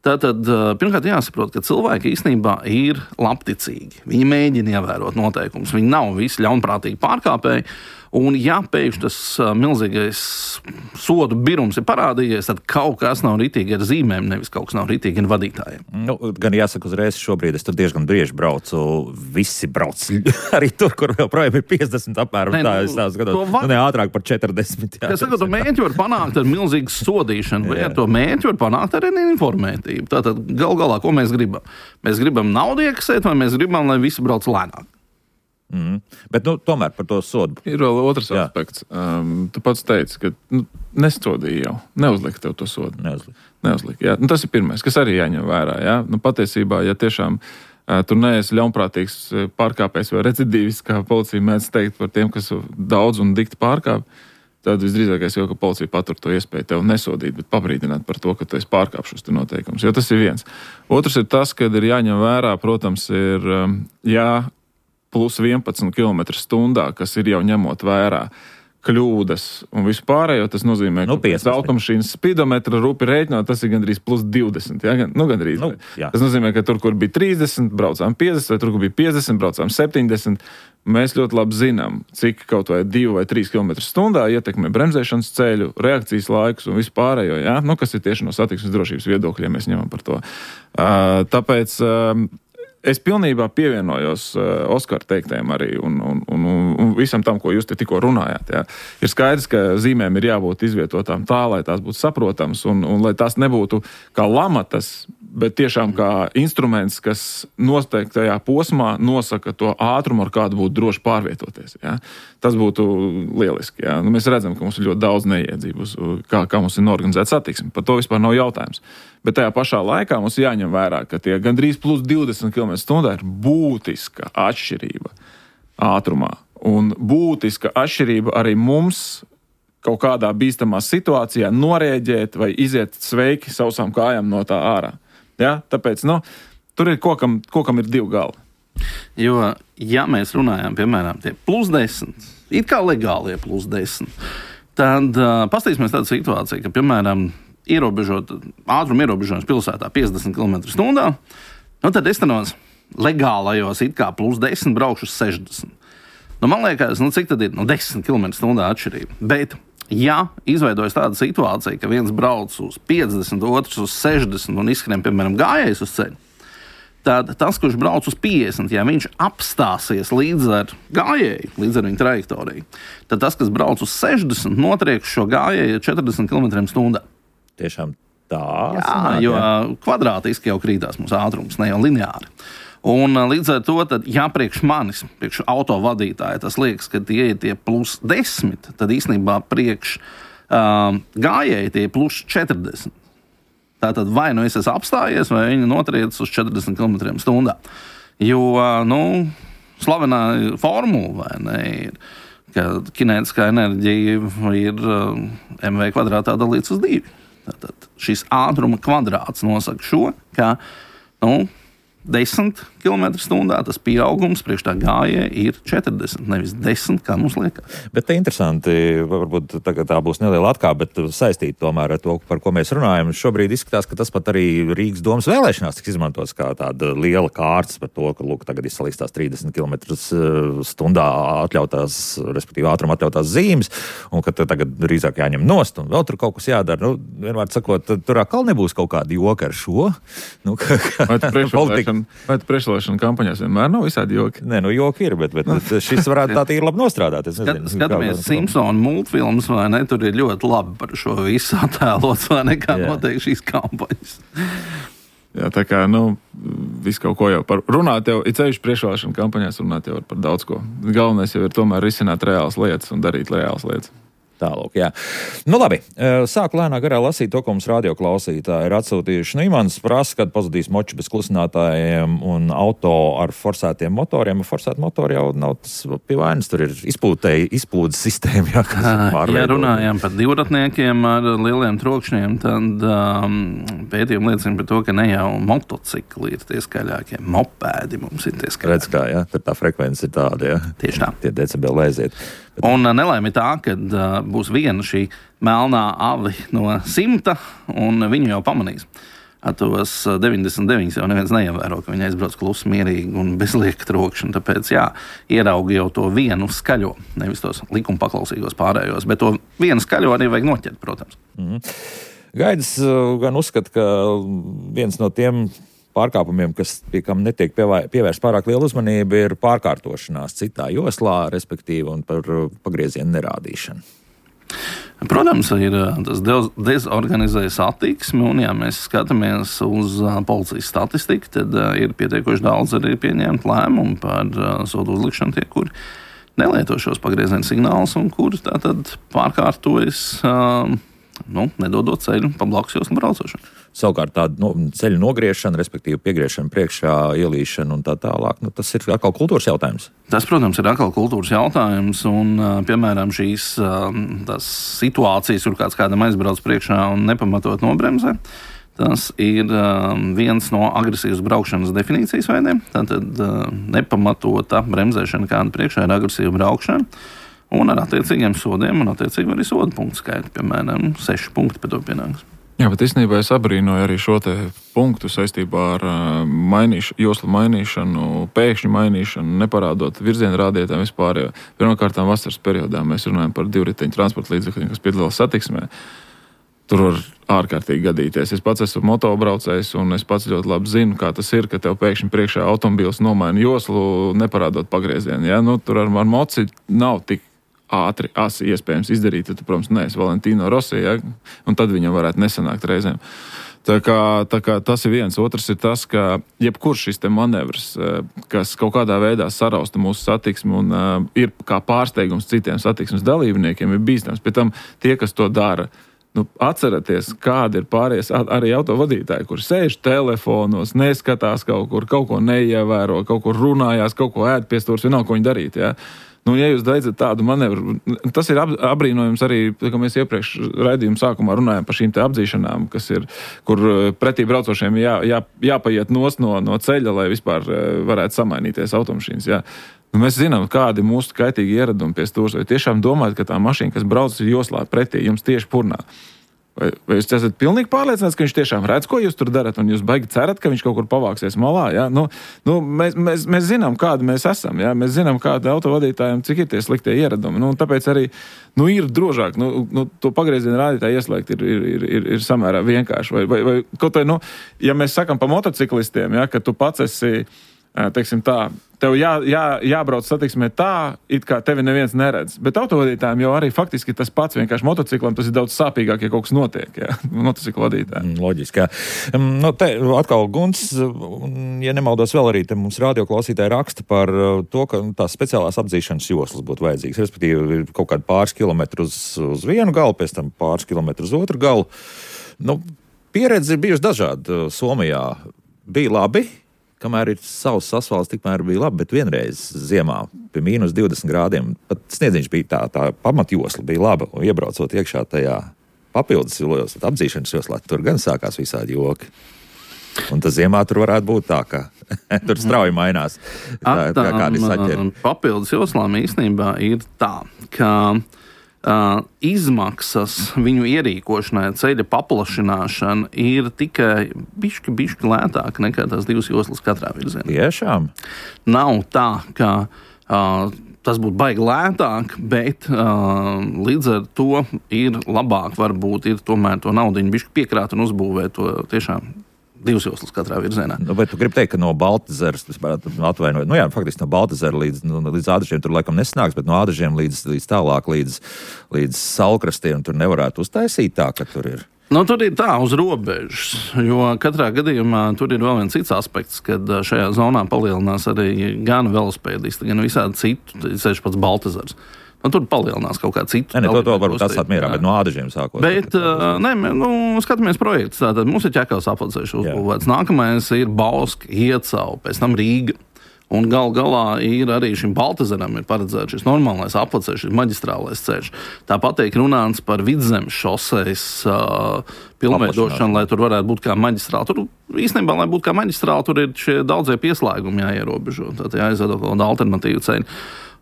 Tātad, pirmkārt jāsaprot, ka cilvēki īstenībā ir labticīgi. Viņi mēģina ievērot noteikumus, viņi nav visi ļaunprātīgi pārkāpēji. Un, ja pēkšņi tas milzīgais sodu birums ir parādījies, tad kaut kas nav ritīgi ar zīmēm, nevis kaut kas nav ritīgi ar vadītājiem. Gan jāsaka uzreiz, šobrīd es tur diezgan bieži braucu, visi brauc arī tur, kur vēl projām ir 50 apmēram. Es tā skatos, ne ātrāk par 40. Es saku, to mērķi var panākt ar milzīgu sodīšanu, vai ar to mērķi var panākt ar informētību. Tātad galā, ko mēs gribam? Mēs gribam naudu iekasēt, vai mēs gribam, lai visi brauc lēnāk? Bet tomēr par to sodu. Ir vēl otrs aspekts. Tu pats teici, ka nesodīja jau. Neuzlika tev to sodu. Neuzlika, jā. Tas ir pirmais, kas arī jāņem vērā. Jā? Patiesībā, ja tiešām tur neesi ļaunprātīgs pārkāpējs vai recidīvis, kā policija mēdz teikt par tiem, kas daudz un dikti pārkāp, tad visdrīzākais jau, ka policija patur to iespēju tev nesodīt, bet pabrīdināt par to, ka tu esi pārkāpšus tur noteikums. Jo tas ir viens. Otrs ir tas, kad ir jāņem vērā, protams, ir plus 11 km/h, kas ir jau ņemot vērā kļūdas un vispārējo, tas nozīmē, ka pēc automašīnas spidometra rupi rēķinot, tas ir gandrīz plus 20. Ja? Gandrīz. Tas nozīmē, ka tur, kur bija 30, braucām 50, vai tur, kur bija 50, braucām 70. Mēs ļoti labi zinām, cik kaut vai 2 vai 3 km/h ietekmē bremzēšanas ceļu, reakcijas laikus un vispārējo, ja? Kas ir tieši no satiksmes drošības viedokļa, ja mēs ņemam par to. Tāpēc es pilnībā pievienojos Oskara teiktajam arī un visam tam, ko jūs te tikko runājāt. Jā. Ir skaidrs, ka zīmēm ir jābūt izvietotām tā, lai tās būtu saprotams un lai tās nebūtu kā lamatas, bet tiešām kā instruments, kas noteiktajā posmā nosaka to ātrumu, ar kādu būtu droši pārvietoties. Jā. Tas būtu lieliski. Jā. Mēs redzam, ka mums ir ļoti daudz neiedzību, kā mums ir norganizēta satiksme. Par to vispār nav jautājums. Bet tajā pašā laikā mums jāņem vērā, ka tie gandrīz plus 20 km/h ir būtiska atšķirība ātrumā. Un būtiska atšķirība arī mums kaut kādā bīstamā situācijā norēģēt vai iziet sveiki sausām kājām no tā ārā. Ja? Tāpēc, tur ir kokam ir divi gali. Jo, ja mēs runājam, piemēram, tie plus 10, it kā legālie plus 10, tad paskatīsimies tādu situāciju, ka, piemēram, ātruma ierobežojums pilsētā 50 km/h, tad es tenos legālajos it kā plus 10 braukšu uz 60. Man liekas, cik tad ir 10 km/h atšķirība. Bet, ja izveidojas tāda situācija, ka viens brauc uz 50, otrs uz 60 un izskrien, piemēram, gājējs uz ceļu, tad tas, kurš brauc uz 50, ja viņš apstāsies līdz ar gājēju, līdz ar viņa trajektoriju, tad tas, kas brauc uz 60, notrieks šo gājēju 40 km/h. Tiešām tā. Jo kvadrātiski jau krītās mūsu ātrums, ne jau lineāri. Un līdz ar to, tad, ja priekš manis, priekš autovadītāja, tas liekas, ka tie ir tie +10, tad īstenībā priekš gājēji tie +40. Tātad vai nu es esmu apstājies, vai viņi notriec uz 40 km/h. Jo, slavenā formula, vai ne, ir, ka kinētiskā enerģija ir mv kvadrātā dalīts uz 2. Tātad šis ātruma kvadrāts nosaka šo, ka, 10 km/h tas pieaugums priekš tā gājēja ir 40, nevis 10, kā mums liekas. Bet te interesanti, varbūt tā būs neliela atkāpe, bet saistīt tomēr ar to, par ko mēs runājam. Šobrīd izskatās, ka tas pat arī Rīgas domas vēlēšanās tiks izmantots kā tāda liela kārtas par to, ka, tagad izsalīstās 30 km/h atļautās, respektīvi ātruma atļautās zīmes, un ka tagad drīzāk jāņem nost, un vēl tur kaut kas jādara. Vienmēr sakot, tur atkal nebūs kaut kāda joka ar šo. Vai priekšvēlēšana kampaņās vienmēr nav visādi joki? Nē, joki ir, bet šis varētu tā ir labi nostrādāt. Skatāmies Simpsonu multfilmus, vai ne? Tur ir ļoti labi par šo visu attēlots, vai ne, kā notiek šīs kampaņas. Jā, tā kā, visu kaut ko jau par runāt jau, it sevišķi priekšvēlēšana kampaņās runāt jau par daudz ko. Galvenais jau ir tomēr risināt reālas lietas un darīt reālas lietas. Tālūk, jā. Labi, sāku lēnā garā lasīt to, ko mums radioklausītāji ir atsūtījuši. Imants prasa, kad pazudīs moči bez klusinātājiem un auto ar forsētiem motoriem. Forsēti motori jau nav tas pie vainas, tur ir izplūdes sistēma. Ja runājām par divratniekiem ar lieliem trokšņiem, tad pētījumi liecina par to, ka ne jau motocikli ir tie skaļākie, mopēdi mums ir tie skaļākie. Redz kā, jā, tur tā frekvence ir tāda, jā. Tieši tā. Tie decibeli aiziet. Un nelaime tā, kad būs viena šī melnā avi no 100, un viņu jau pamanīs. Tos 99 jau neviens neievēro, ka viņi aizbrauc klusi, mierīgi un bez lieka trokšņa. Tāpēc, ieraugi jau to vienu skaļo, nevis tos likuma paklausīgos pārējos, bet to vienu skaļo arī vajag noķert, protams. Gaidis gan uzskata, ka viens no tiem pārkāpumiem, pie kam netiek pievērst pārāk liela uzmanība, ir pārkārtošanās citā joslā, respektīvi, un par pagriezienu nerādīšanu. Protams, ir tas dezorganizējas attieksme, un ja mēs skatāmies uz policijas statistiku, tad ir pietiekoši daudz arī pieņemt lēmumu par sodu uzlikšanu tie, kuri nelieto šos pagriezienu signālus un kuri tātad pārkārtojas, nedodot ceļu pa blakus joslu braucošanu. Savukārt tāda ceļu nogriešana, respektīvi piegriešana priekšā, ielīšana un tā tālāk, tas ir atkal kultūras jautājums. Tas, protams, ir atkal kultūras jautājums, un, piemēram, šīs tās situācijas, kur kādam aizbrauc priekšā un nepamatot nobremzē, tas ir viens no agresīvas braukšanas definīcijas veidiem. Tātad nepamatota bremzēšana kāda priekšā ir agresīva braukšana, un ar attiecīgiem sodiem un attiecīgi arī sodu punktu skaitu, piemēram, 6 punkti pēc to pienāks. Jā, bet īstenībā es abrīnoju arī šo te punktu saistībā ar joslu mainīšanu, pēkšņu mainīšanu, neparādot virzienu rādītājiem vispār. Pirmkārt, vasaras periodā mēs runājam par divriteņu transporta līdzekļiem, kas piedalās satiksmē. Tur var ārkārtīgi gadīties. Es pats esmu motobraucējs, un es pats ļoti labi zinu, kā tas ir, ka tev pēkšņi priekšā automobīls nomaina joslu, neparādot pagriezienu. Ja? Tur ar moci nav tik ātri, asi iespējams izdarīt, tad, protams, neesi Valentino Rossi, un tad viņam varētu nesanākt reizēm. Tā kā tas ir viens. Otrs ir tas, ka jebkurš šis te manevrs, kas kaut kādā veidā sarausta mūsu satiksmi un ir kā pārsteigums citiem satiksmes dalībniekiem, ir bīstams. Pēc tam tie, kas to dara, atcerieties, kādi ir pārējais arī autovadītāji, kuri sēž telefonos, neskatās kaut ko neievēro, kaut kur runājās, kaut ko ēd pie stūres, vienalga, ko viņi darīt, ja jūs veicat tādu manevru, tas ir apbrīnojums arī, ka mēs iepriekš raidījuma sākumā runājam par šīm te apdzīšanām, kas ir, kur pretī braucošiem jāpaiet nost no ceļa, lai vispār varētu samainīties automašīnas, Mēs zinām, kādi mūsu kaitīgi ieradumi pie stūres, vai tiešām domājat, ka tā mašīna, kas brauc joslā pretī, jums tieši purnā. Vai jūs esat pilnīgi pārliecināts, ka viņš tiešām redz, ko jūs tur darat, un jūs baigi cerat, ka viņš kaut kur pavāksies malā? Ja? Mēs zinām, kādi mēs esam. Ja? Mēs zinām, kādi autovadītājiem, cik ir tie sliktie ieradumi. Tāpēc arī ir drošāk. To pagriezienu rādītāju ieslēgt ir samērā vienkārši. Vai kaut vai, ja mēs sakam pa motociklistiem, ja, ka tu pats esi, teiksim tā, tev jābrauc satiksmē tā, it kā tevi neviens neredz. Bet autovadītājiem jau arī faktiski tas pats, vienkārši motociklam tas ir daudz sāpīgāk, ja kaut kas notiek, ja, motociklu vadītājiem. Loģiski, jā. Te atkal Gunts, ja nemaldos vēl arī, te mums radioklausītāji raksta par to, ka tās speciālās apdzīšanas joslas būtu vajadzīgas. Respektīvi, ir kaut kādi pāris kilometri uz vienu galu, pēc tam pāris kilometri uz otru galu. Pieredze ir bijusi dažāda. Somijā bija labi, kamēr ir savs asfalts, tikmēr bija labi, bet vienreiz ziemā pie mīnus 20 grādiem, pat sniedziņš bija tā pamatjosla bija laba, un iebraucot iekšā tajā papildus josla, apdzīšanas joslā, tur gan sākās visādi joki. Un tas ziemā tur varētu būt tā, ka tur strauji mainās. Kādi saķeri. Papildus joslām īstenībā ir tā, ka izmaksas viņu ierīkošanai, ceļa paplašināšana ir tikai bišķi lētāk nekā tās divas joslas katrā virzienā. Tiešām? Nav tā, ka tas būtu baigi lētāk, bet līdz ar to ir labāk varbūt ir tomēr to naudiņu bišķi piekrāt un uzbūvēt to tiešām divas joslas katrā virzienā. Vai tu gribi teikt, ka no Baltazeras, atvainojot, faktiski no Baltazera līdz Ādažiem tur laikam nesnāks, bet no Ādažiem līdz tālāk, līdz Salkrastiem tur nevarētu uztaisīt tā, ka tur ir? Tur ir tā uz robežas, jo katrā gadījumā tur ir vēl viens cits aspekts, kad šajā zonā palielinās arī gan velospēdisti, gan visādi citu, ceļš pats Baltazars. Tur palielinās kaut kā citu. To varbūt atstāt mierā, bet no Ādažiem sākot. Bet, skatāmies projekts. Tātad mums ir Ķekavas apceļš uzbūvēts. Nākamais ir Bauska, Iecau, pēc tam Rīga. Un galā ir arī šim Baltazaram ir paredzēts šis normālais apceļš, šis maģistrālais ceļš. Tāpat tiek runāts par Vidzemes šosejas pilnveidošanu, lai tur varētu būt kā maģistrāla. Tur īstenībā, lai būtu kā maģistrāla, tur ir šie daudzie pieslēgumi jāierobežo. Tātad jāizveido kaut kāda alternatīva ceļa.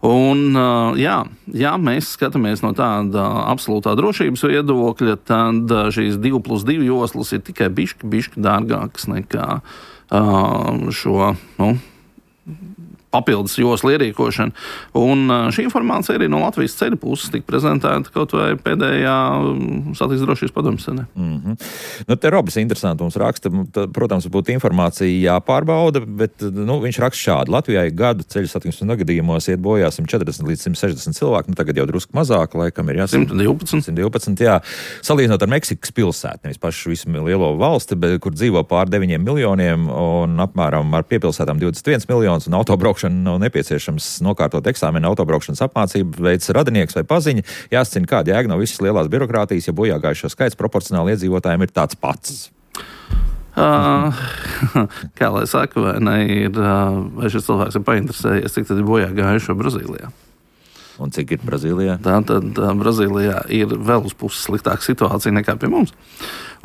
Un, ja mēs skatāmies no tāda absolūtā drošības viedokļa, tad šīs 2+2 joslas ir tikai bišķi dārgākas nekā šo, papildus joslu ierīkošana. Un šī informācija arī no Latvijas ceļa puses tika prezentēta kaut vai pēdējā satiksmes drošības padomes sēdē. Te Robis interesanti mums raksta, protams, būtu informācija jāpārbauda, bet viņš raksta šādi. Latvijā gadu ceļu satiksmes negadījumos iet bojā 140 līdz 160 cilvēki, tagad jau drusku mazāk, laikam ir 112, jā. Salīdzinot ar Meksikas pilsētu, nevis pašu visu lielo valsti, bet, kur dzīvo pār 9 miljoniem un apmēram ar piepilsētām 21 miljonus un autobraukšanu nav nepieciešams nokārtot eksāmenu autobraukšanas apmācību, veids radinieks vai paziņa. Jāsacina, kāda jēga no visas lielās birokrātijas, ja bojāgājušo skaits proporcionāli iedzīvotājiem ir tāds pats. Kā lai saka, vai šis cilvēks ir painteresējies, cik tad ir bojāgājušo Brazīlijā? Un cik ir Brazīlijā? Tātad Brazīlijā ir vēl uz puses sliktāka situācija nekā pie mums.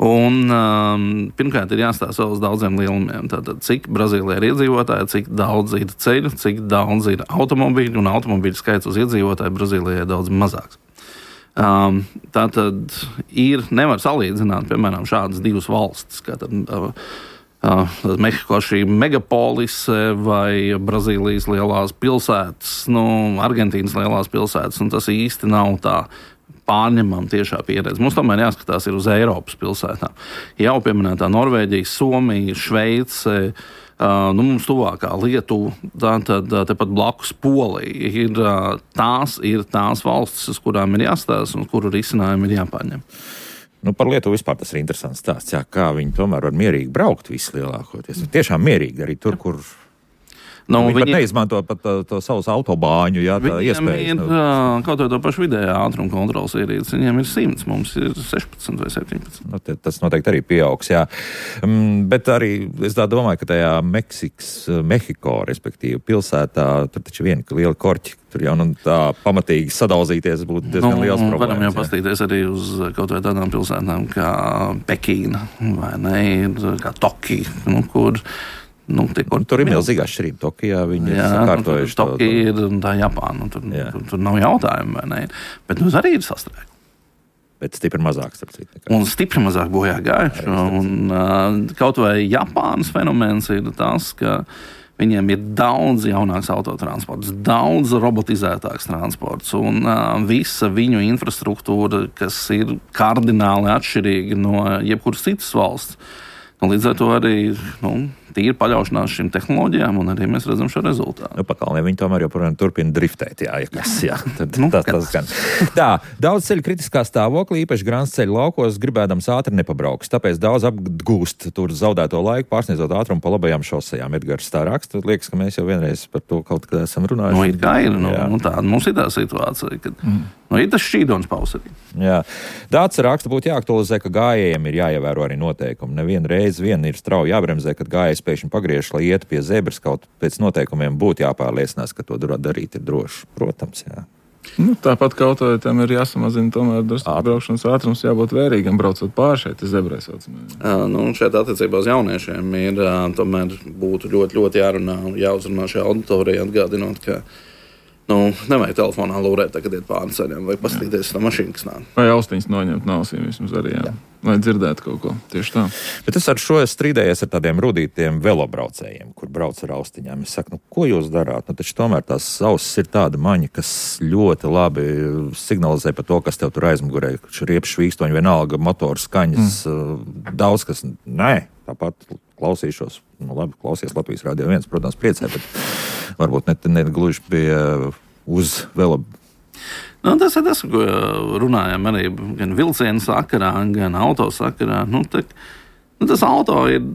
Un pirmkārt ir jāstāsta uz daudziem lielumiem. Tātad cik Brazīlijā ir iedzīvotāji, cik daudz ir ceļu, cik daudz ir automobīļu, un automobīļu skaits uz iedzīvotāju Brazīlijā ir daudz mazāks. Tātad nevar salīdzināt, piemēram, šādas divas valstis, kā Mehiko šī megapolise vai Brazīlijas lielās pilsētas, Argentīnas lielās pilsētas, un tas īsti nav tā pārņemama tiešā pieredze. Mums tomēr jāskatās ir uz Eiropas pilsētām. Jau pieminētā Norvēģija, Somija, Šveice, mums tuvākā Lietuva, tad tepat blakus Polija ir tās valstis, uz kurām ir jāstāsta un kuru risinājumi ir jāpārņem. Par Lietuvu vispār tas ir interesants stāsts, kā viņi tomēr var mierīgi braukt vislielākoties. Tiešām mierīgi arī tur, kur viņi pat neizmanto pat to savus autobāņu, tā iespējas. Viņiem ir kaut vai to pašu vidējā ātruma kontrolas ierīces, viņiem ir 100, mums ir 16 vai 17. Tas noteikti arī pieaugs, jā. Bet arī es domāju, ka tajā Mehiko, respektīvi pilsētā, tur taču viena liela korķi, tur jau tā pamatīgi sadauzīties būtu diezgan liels problēmas. Varam jau pastīties arī uz kaut vai tādām pilsētām kā Pekīna, vai ne, kā Tokija, kur tur ir milzīga atšķirība. Tokijā viņi ir sakārtojuši. Tokija ir tā Japāna, tur nav jautājumu, vai ne? Bet arī ir sastrēgumi. Bet stipri mazāk, starp citu. Un stipri mazāk bojā gājuši. Un kaut vai Japānas fenomens ir tas, ka viņiem ir daudz jaunāks autotransports, daudz robotizētāks transports un visa viņu infrastruktūra, kas ir kardināli atšķirīga no jebkuras citas valsts. Līdz ar to arī tīri paļaušanās šīm tehnoloģijām, un arī mēs redzam šo rezultātu. Pakalnē viņi tomēr joprojām turpina driftēt, tas gan. Tā, daudz ceļu kritiskā stāvoklī, īpaši grāns ceļu laukos, gribēdams ātri nepabrauks, tāpēc daudz apgūst tur zaudēto laiku, pārsniedzot ātrumu pa labajām šosejām. Edgars tā raksta, liekas, ka mēs jau vienreiz par to kaut kad esam runājuši. Ir kā ir, tāda mums ir tā situācija, kad ir tas šķīdons pausarī. Jā. Dāts raksta būtu jāaktualizē, ka gājējiem ir jāievēro arī noteikumi. Nevienu reizi ir strauji jābremzē, kad gājējs pēkšņi pagriež, lai ietu pie zebras, kaut pēc noteikumiem būtu jāpārliecinās, ka to darīt ir droši. Protams, jā. Tāpat kaut vai tam ir jāsamazina tomēr braukšanas ātrums, jābūt vērīgam, braucot pāri šeit zebrai saucamajai. Šeit attiecībā uz jauniešiem ir tomēr būtu ļoti, ļoti jāuzrunā šajā auditorijā, atgādinot, ka nevajag telefonā lūrēt, kad iet pāri ceļiem, vai paskatīties no mašīnas, kas nāk. Vai austiņas noņemt no ausīm vismaz arī, jā. Lai dzirdētu kaut ko. Tieši tā. Bet es ar šo strīdējies ar tādiem rudītiem velobraucējiem, kur brauc ar austiņām. Es saku, ko jūs darāt? Taču tomēr tās ausis ir tāda maņa, kas ļoti labi signalizē par to, kas tev tur aizmugurē. Riepas švīkstoņi, vienalga, motors, skaņas, daudz kas. Nē, tāpat klausīšos. Labi, klausies Latvijas Radio 1, protams, priecē, bet varbūt ne gluži pie uz velobraucēju. Tas ir tas, ko runājam arī gan vilcienu sakarā, gan auto sakarā. Tas auto ir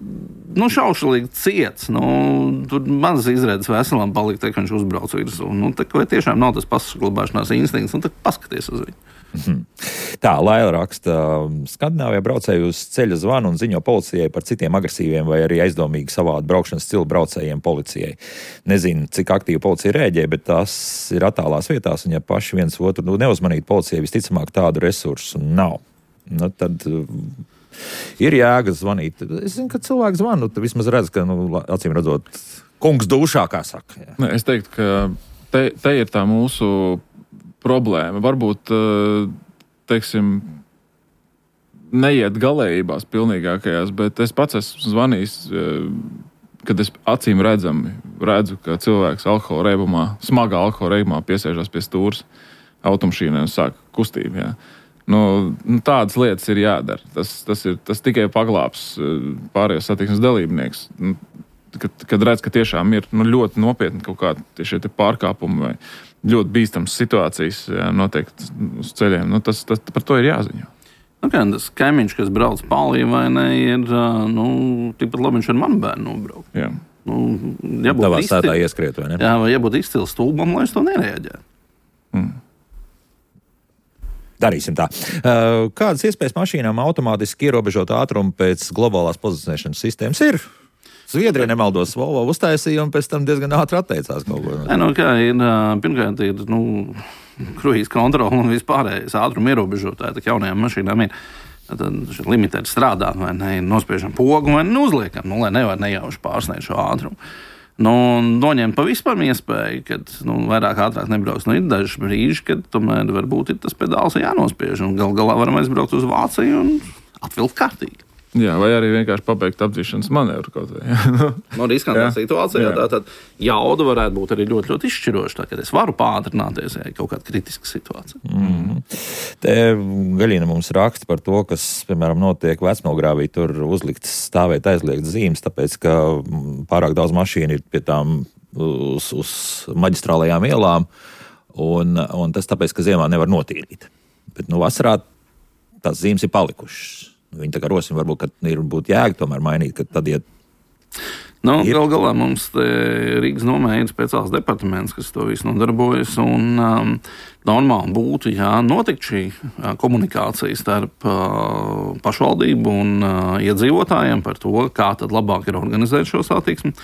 šaušalīgi ciets. Tur maz izredzes veselam palikt, ka viņš uzbrauc virsū. Vai tiešām nav tas pasaglabāšanās instinkts, tad paskaties uz viņu. Tā, Laila raksta, Skandināvijā braucēji uz ceļa zvanu un ziņo policijai par citiem agresīviem vai arī aizdomīgi savādu braukšanas stilu braucējiem policijai. Nezinu, cik aktīvi policija rēģē, bet tās ir attālās vietās, un ja paši viens otru neuzmanīt policijai, visticamāk tādu resursu nav. Tad ir jēga zvanīt. Es zinu, ka cilvēks zvanu, tad vismaz redz, ka, acīm redzot, kungs dušā, kā saka. Jā. Es teiktu, ka te ir tā mūsu problēma. Varbūt, neiet galējībās pilnīgākajās, bet es pats esmu zvanījis, kad es acīm redzu, ka cilvēks smagā alkohola reibumā piesēžās pie stūres automašīnai un sāk kustību. Jā. Tādas lietas ir jādara. Tas tikai paglābs pārējos satiksmes dalībnieks. Kad redz, ka tiešām ir ļoti nopietni kaut kādi šie pārkāpumi vai ļoti bīstamas situācijas notiek uz ceļiem, par to ir jāziņo. Tas kaimiņš, kas brauc palī vai ne, ir, tikpat labi viņš ar manu bērnu nobraukt. Jā. Tavā sētā ieskriet, vai ne? Jā, vai jābūt izcils stulbam, lai es to nereaģētu. Darīsim tā. Kādas iespējas mašīnām automātiski ierobežot ātrumu pēc globālās pozicionēšanas sistēmas ir? Zviedrija nemaldos, Volvo uztaisīja un pēc tam diezgan ātri atteicās kaut ko. Pirmkārt ir kruīza kontrola un vispārējais ātruma ierobežotāji, tā jaunajām mašīnām ir. Tad limitēti strādā, vai ne, nospiežam pogu, vai neuzliekam, lai nevar nejauši pārsniegt šo ātrumu. Noņemt pavisam iespēju, kad vairāk ātrāk nebrauks. Ir daži brīži, kad tomēr varbūt ir tas pedāls jānospiež, un galā varam aizbraukt uz Vāciju un atvilkt kārtīgi. Jā, vai arī vienkārši pabeigt apdzīšanas manevru kaut vai. Riskantā situācijā tātad jauda varētu būt arī ļoti, ļoti izšķiroša, tā, kad es varu pātrināties, ja ir kaut kāda kritiska situācija. Te Gaļina mums raksta par to, kas, piemēram, notiek Vecmelgrāvī, tur uzlikts stāvēt aizliegts zīmes, tāpēc, ka pārāk daudz mašīnu ir pie tām uz maģistrālajām ielām, un tas tāpēc, ka ziemā nevar notīrīt. Bet, vasarā tās zīmes ir palikušas. Viņi tā kā rosina, varbūt, ka būtu jēga tomēr mainīt, ka tad iet. Gal galā mums Rīgas nomē ir speciāls departaments, kas to visu nodarbojas, un normāli būtu, ja notikt šī komunikācija starp pašvaldību un iedzīvotājiem par to, kā tad labāk ir organizēt šo satiksmi.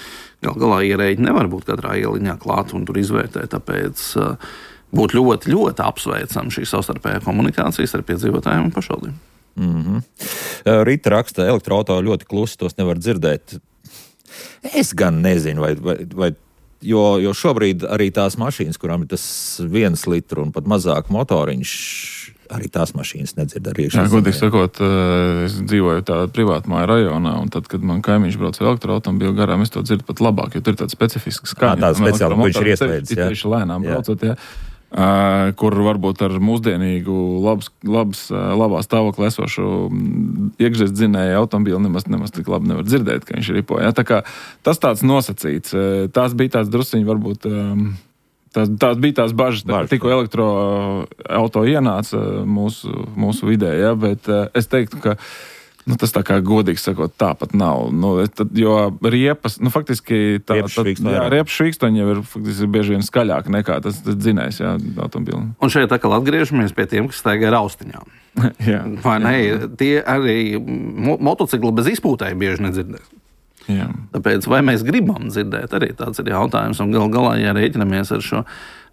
Gal galā ierēģi nevar būt katrā ieliņā klāt un tur izvērtēt, tāpēc būtu ļoti, ļoti apsveicama šī savstarpējā komunikācija starp iedzīvotājiem un pašvaldību. Rita raksta, elektroauto ļoti klusi, tos nevar dzirdēt. Es gan nezinu, jo šobrīd arī tās mašīnas, kurām ir tas 1 litru un pat mazāk motoriņš, arī tās mašīnas nedzird ar iekšā. Jā, godīgi sakot, es dzīvoju tādā privātmāju rajonā, un tad, kad man kaimiņš brauc ar elektroautomobīlu garām, es to dzirdu pat labāk, jo tur ir tāds specifisks skaņa. Tāds speciāli, ko viņš ir ieslēdzis, jā. Tieši lēnām braucot, jā. Kur varbūt ar mūsdienīgu labā stāvoklī esošu iekšzemes automobīlu nemaz tik labi nevar dzirdēt, ka viņš ripo. Ja? Tā kā tas tāds nosacīts. Tās bija tāds drusciņi varbūt... Tās bija tās bažas, tikko elektroauto ienāca mūsu vidē, ja? Bet es teiktu, ka tas tā kā godīgi sakot, tāpat nav. Jo riepas, faktiski riepas švīkstoņi jau ir faktiski bieži vien skaļāk nekā tas dzinējs, jā, automobilim. Un šeit atkal atgriežamies pie tiem, kas staigā ar austiņām. Vai ne? Tie arī motocikli bez izpūtēja bieži nedzirdēs. Jā. Tāpēc, vai mēs gribam dzirdēt, arī tāds ir jautājums. Un galā, ja rēķinamies ar šo,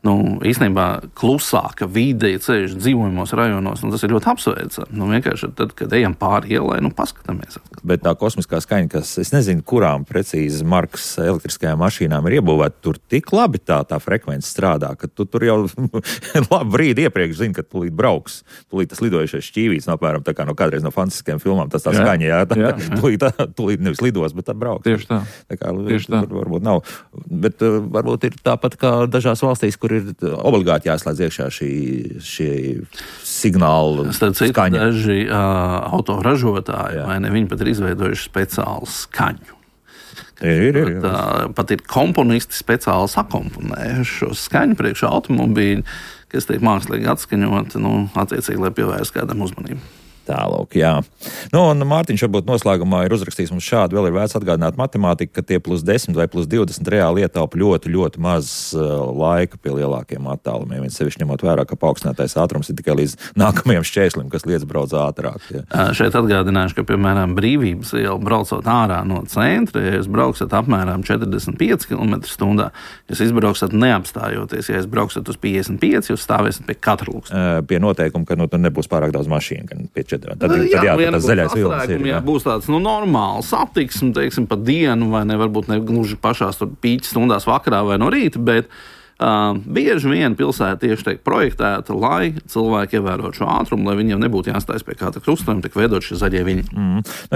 īstenībā klusāka vide ceļš dzīvojumos rajonos, tas ir ļoti apsveicami. Vienkārši tad, kad ejam pāri ielai, paskatāmies. Bet tā kosmiskā skaņa, kas, es nezinu, kurām precīzi markas elektriskajām mašīnām ir iebūvēta, tur tik labi tā frekvence strādā, ka tu tur jau labu brīdi iepriekš zini, ka tūlīt brauks. Tūlīt tas lidojušais šķīvīts, apmēram tā kā kādreiz no fantastiskajām filmām, tas tā skaņa, jā. Tūlīt nevis lidos, bet tā brauks. Tieši tā. Tieši tā. Tur varbūt nav. Bet varbūt ir tāpat kā dažās valstīs, kur ir obligāti jāslēdz iekšā šie signāli skaņa. Daži autoražotāji, vai ne, viņi pat ir izveidojuši speciālu skaņu. Ir. Pat ir komponisti speciāli sakomponējuši šo skaņu priekšā automobīļu, kas tiek mākslīgi atskaņot, attiecīgi, lai pievērst kādam uzmanību. Tālāk, jā. Un Mārtiņš varbūt noslēgumā ir uzrakstījis mums šādu, vēl ir vērts atgādināt matemātiku, ka tie +10 vai +20 reāli ietaupa ļoti, ļoti maz laika pie lielākiem attālumiem. Viens sevišķi ņemot vērā, ka paaugstinātais ātrums ir tikai līdz nākamajam šķērslim, kas liedz brauc ātrāk. Jā. Šeit atgādināšu, ka, piemēram, Brīvības iela braucot ārā no centra, ja jūs brauksat apmēram 45 km/h, jūs izbrauksat neapstājoties, ja jūs brauksat uz 55, jūs stāvēsiet pie katra luksta. Pie noteikuma, ka tur nebūs pārāk daudz mašīnu, gan pie Tad tas zaļais vilnis ir. Jā, būs tāds normāls satiksme, teiksim, pa dienu, vai ne, varbūt ne gluži pašās pīķa stundās vakarā vai no rīta, bet bieži vien pilsēta tieši tiek projektēta, lai cilvēki ievērotu šo ātrumu, lai viņiem nebūtu jāstājas pie kāda krustojuma, tik veidot šie zaļie viļņi.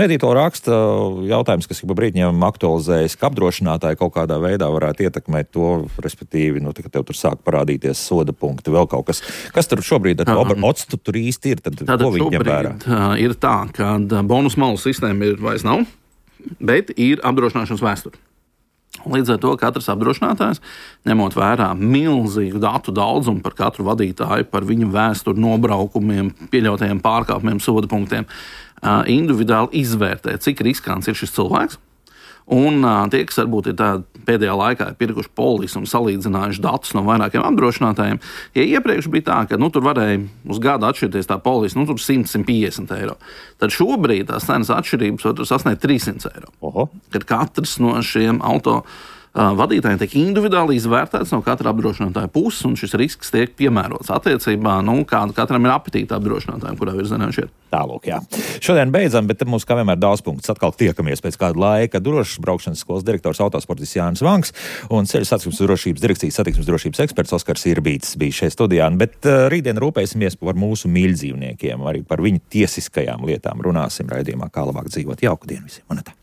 Edītola raksta jautājums, kas ik pa brītņiem aktualizējas, ka apdrošinātāji kaut kādā veidā varētu ietekmēt to, respektīvi, ka tev tur sāk parādīties soda punkti, vēl kaut kas. Kas tur šobrīd ar octu tur īsti ir? Tad ko viņi ņem vērā? Ir tā, ka bonus malu sistēma vairs nav, bet ir apdrošināšanas vēsture. Līdz ar to katrs apdrošinātājs, ņemot vērā milzīgu datu daudzumu par katru vadītāju, par viņu vēsturi, nobraukumiem, pieļautajiem pārkāpumiem, soda punktiem, individuāli izvērtē, cik riskants ir šis cilvēks. Un tie, kas varbūt ir pēdējā laikā pirkuši polisu un salīdzinājuši datus no vairākiem apdrošinātājiem, ja iepriekš bija tā, ka tur varēja uz gadu atšķirties tā polisa, tur 100–150 eiro, tad šobrīd tās cenas atšķirības var sasniegt 300 eiro. Oho. Kad katrs no šiem auto vadītājiem tiek individuāli izvērtēts no katra apdrošinātāja puses, un šis risks tiek piemērots attiecībā, kāda katram ir apetīta apdrošinātājiem, kurā virzienā viņš ir. Tālūk, jā. Šodien beidzam, bet mums kā vienmēr daudz punktus. Atkal tiekamies pēc kāda laika. Drošas braukšanas skolas direktors autosportists Jānis Vanks un Ceļu satiksmes drošības direkcijas satiksmes drošības eksperts Oskars Irbītis bija šeit studijā. Bet rītdien rūpēsimies par mūsu mīļdzīvniekiem, arī par viņu tiesiskajām lietām runāsim raidījumā, kā labāk dzīvot. Jauku dienu visiem!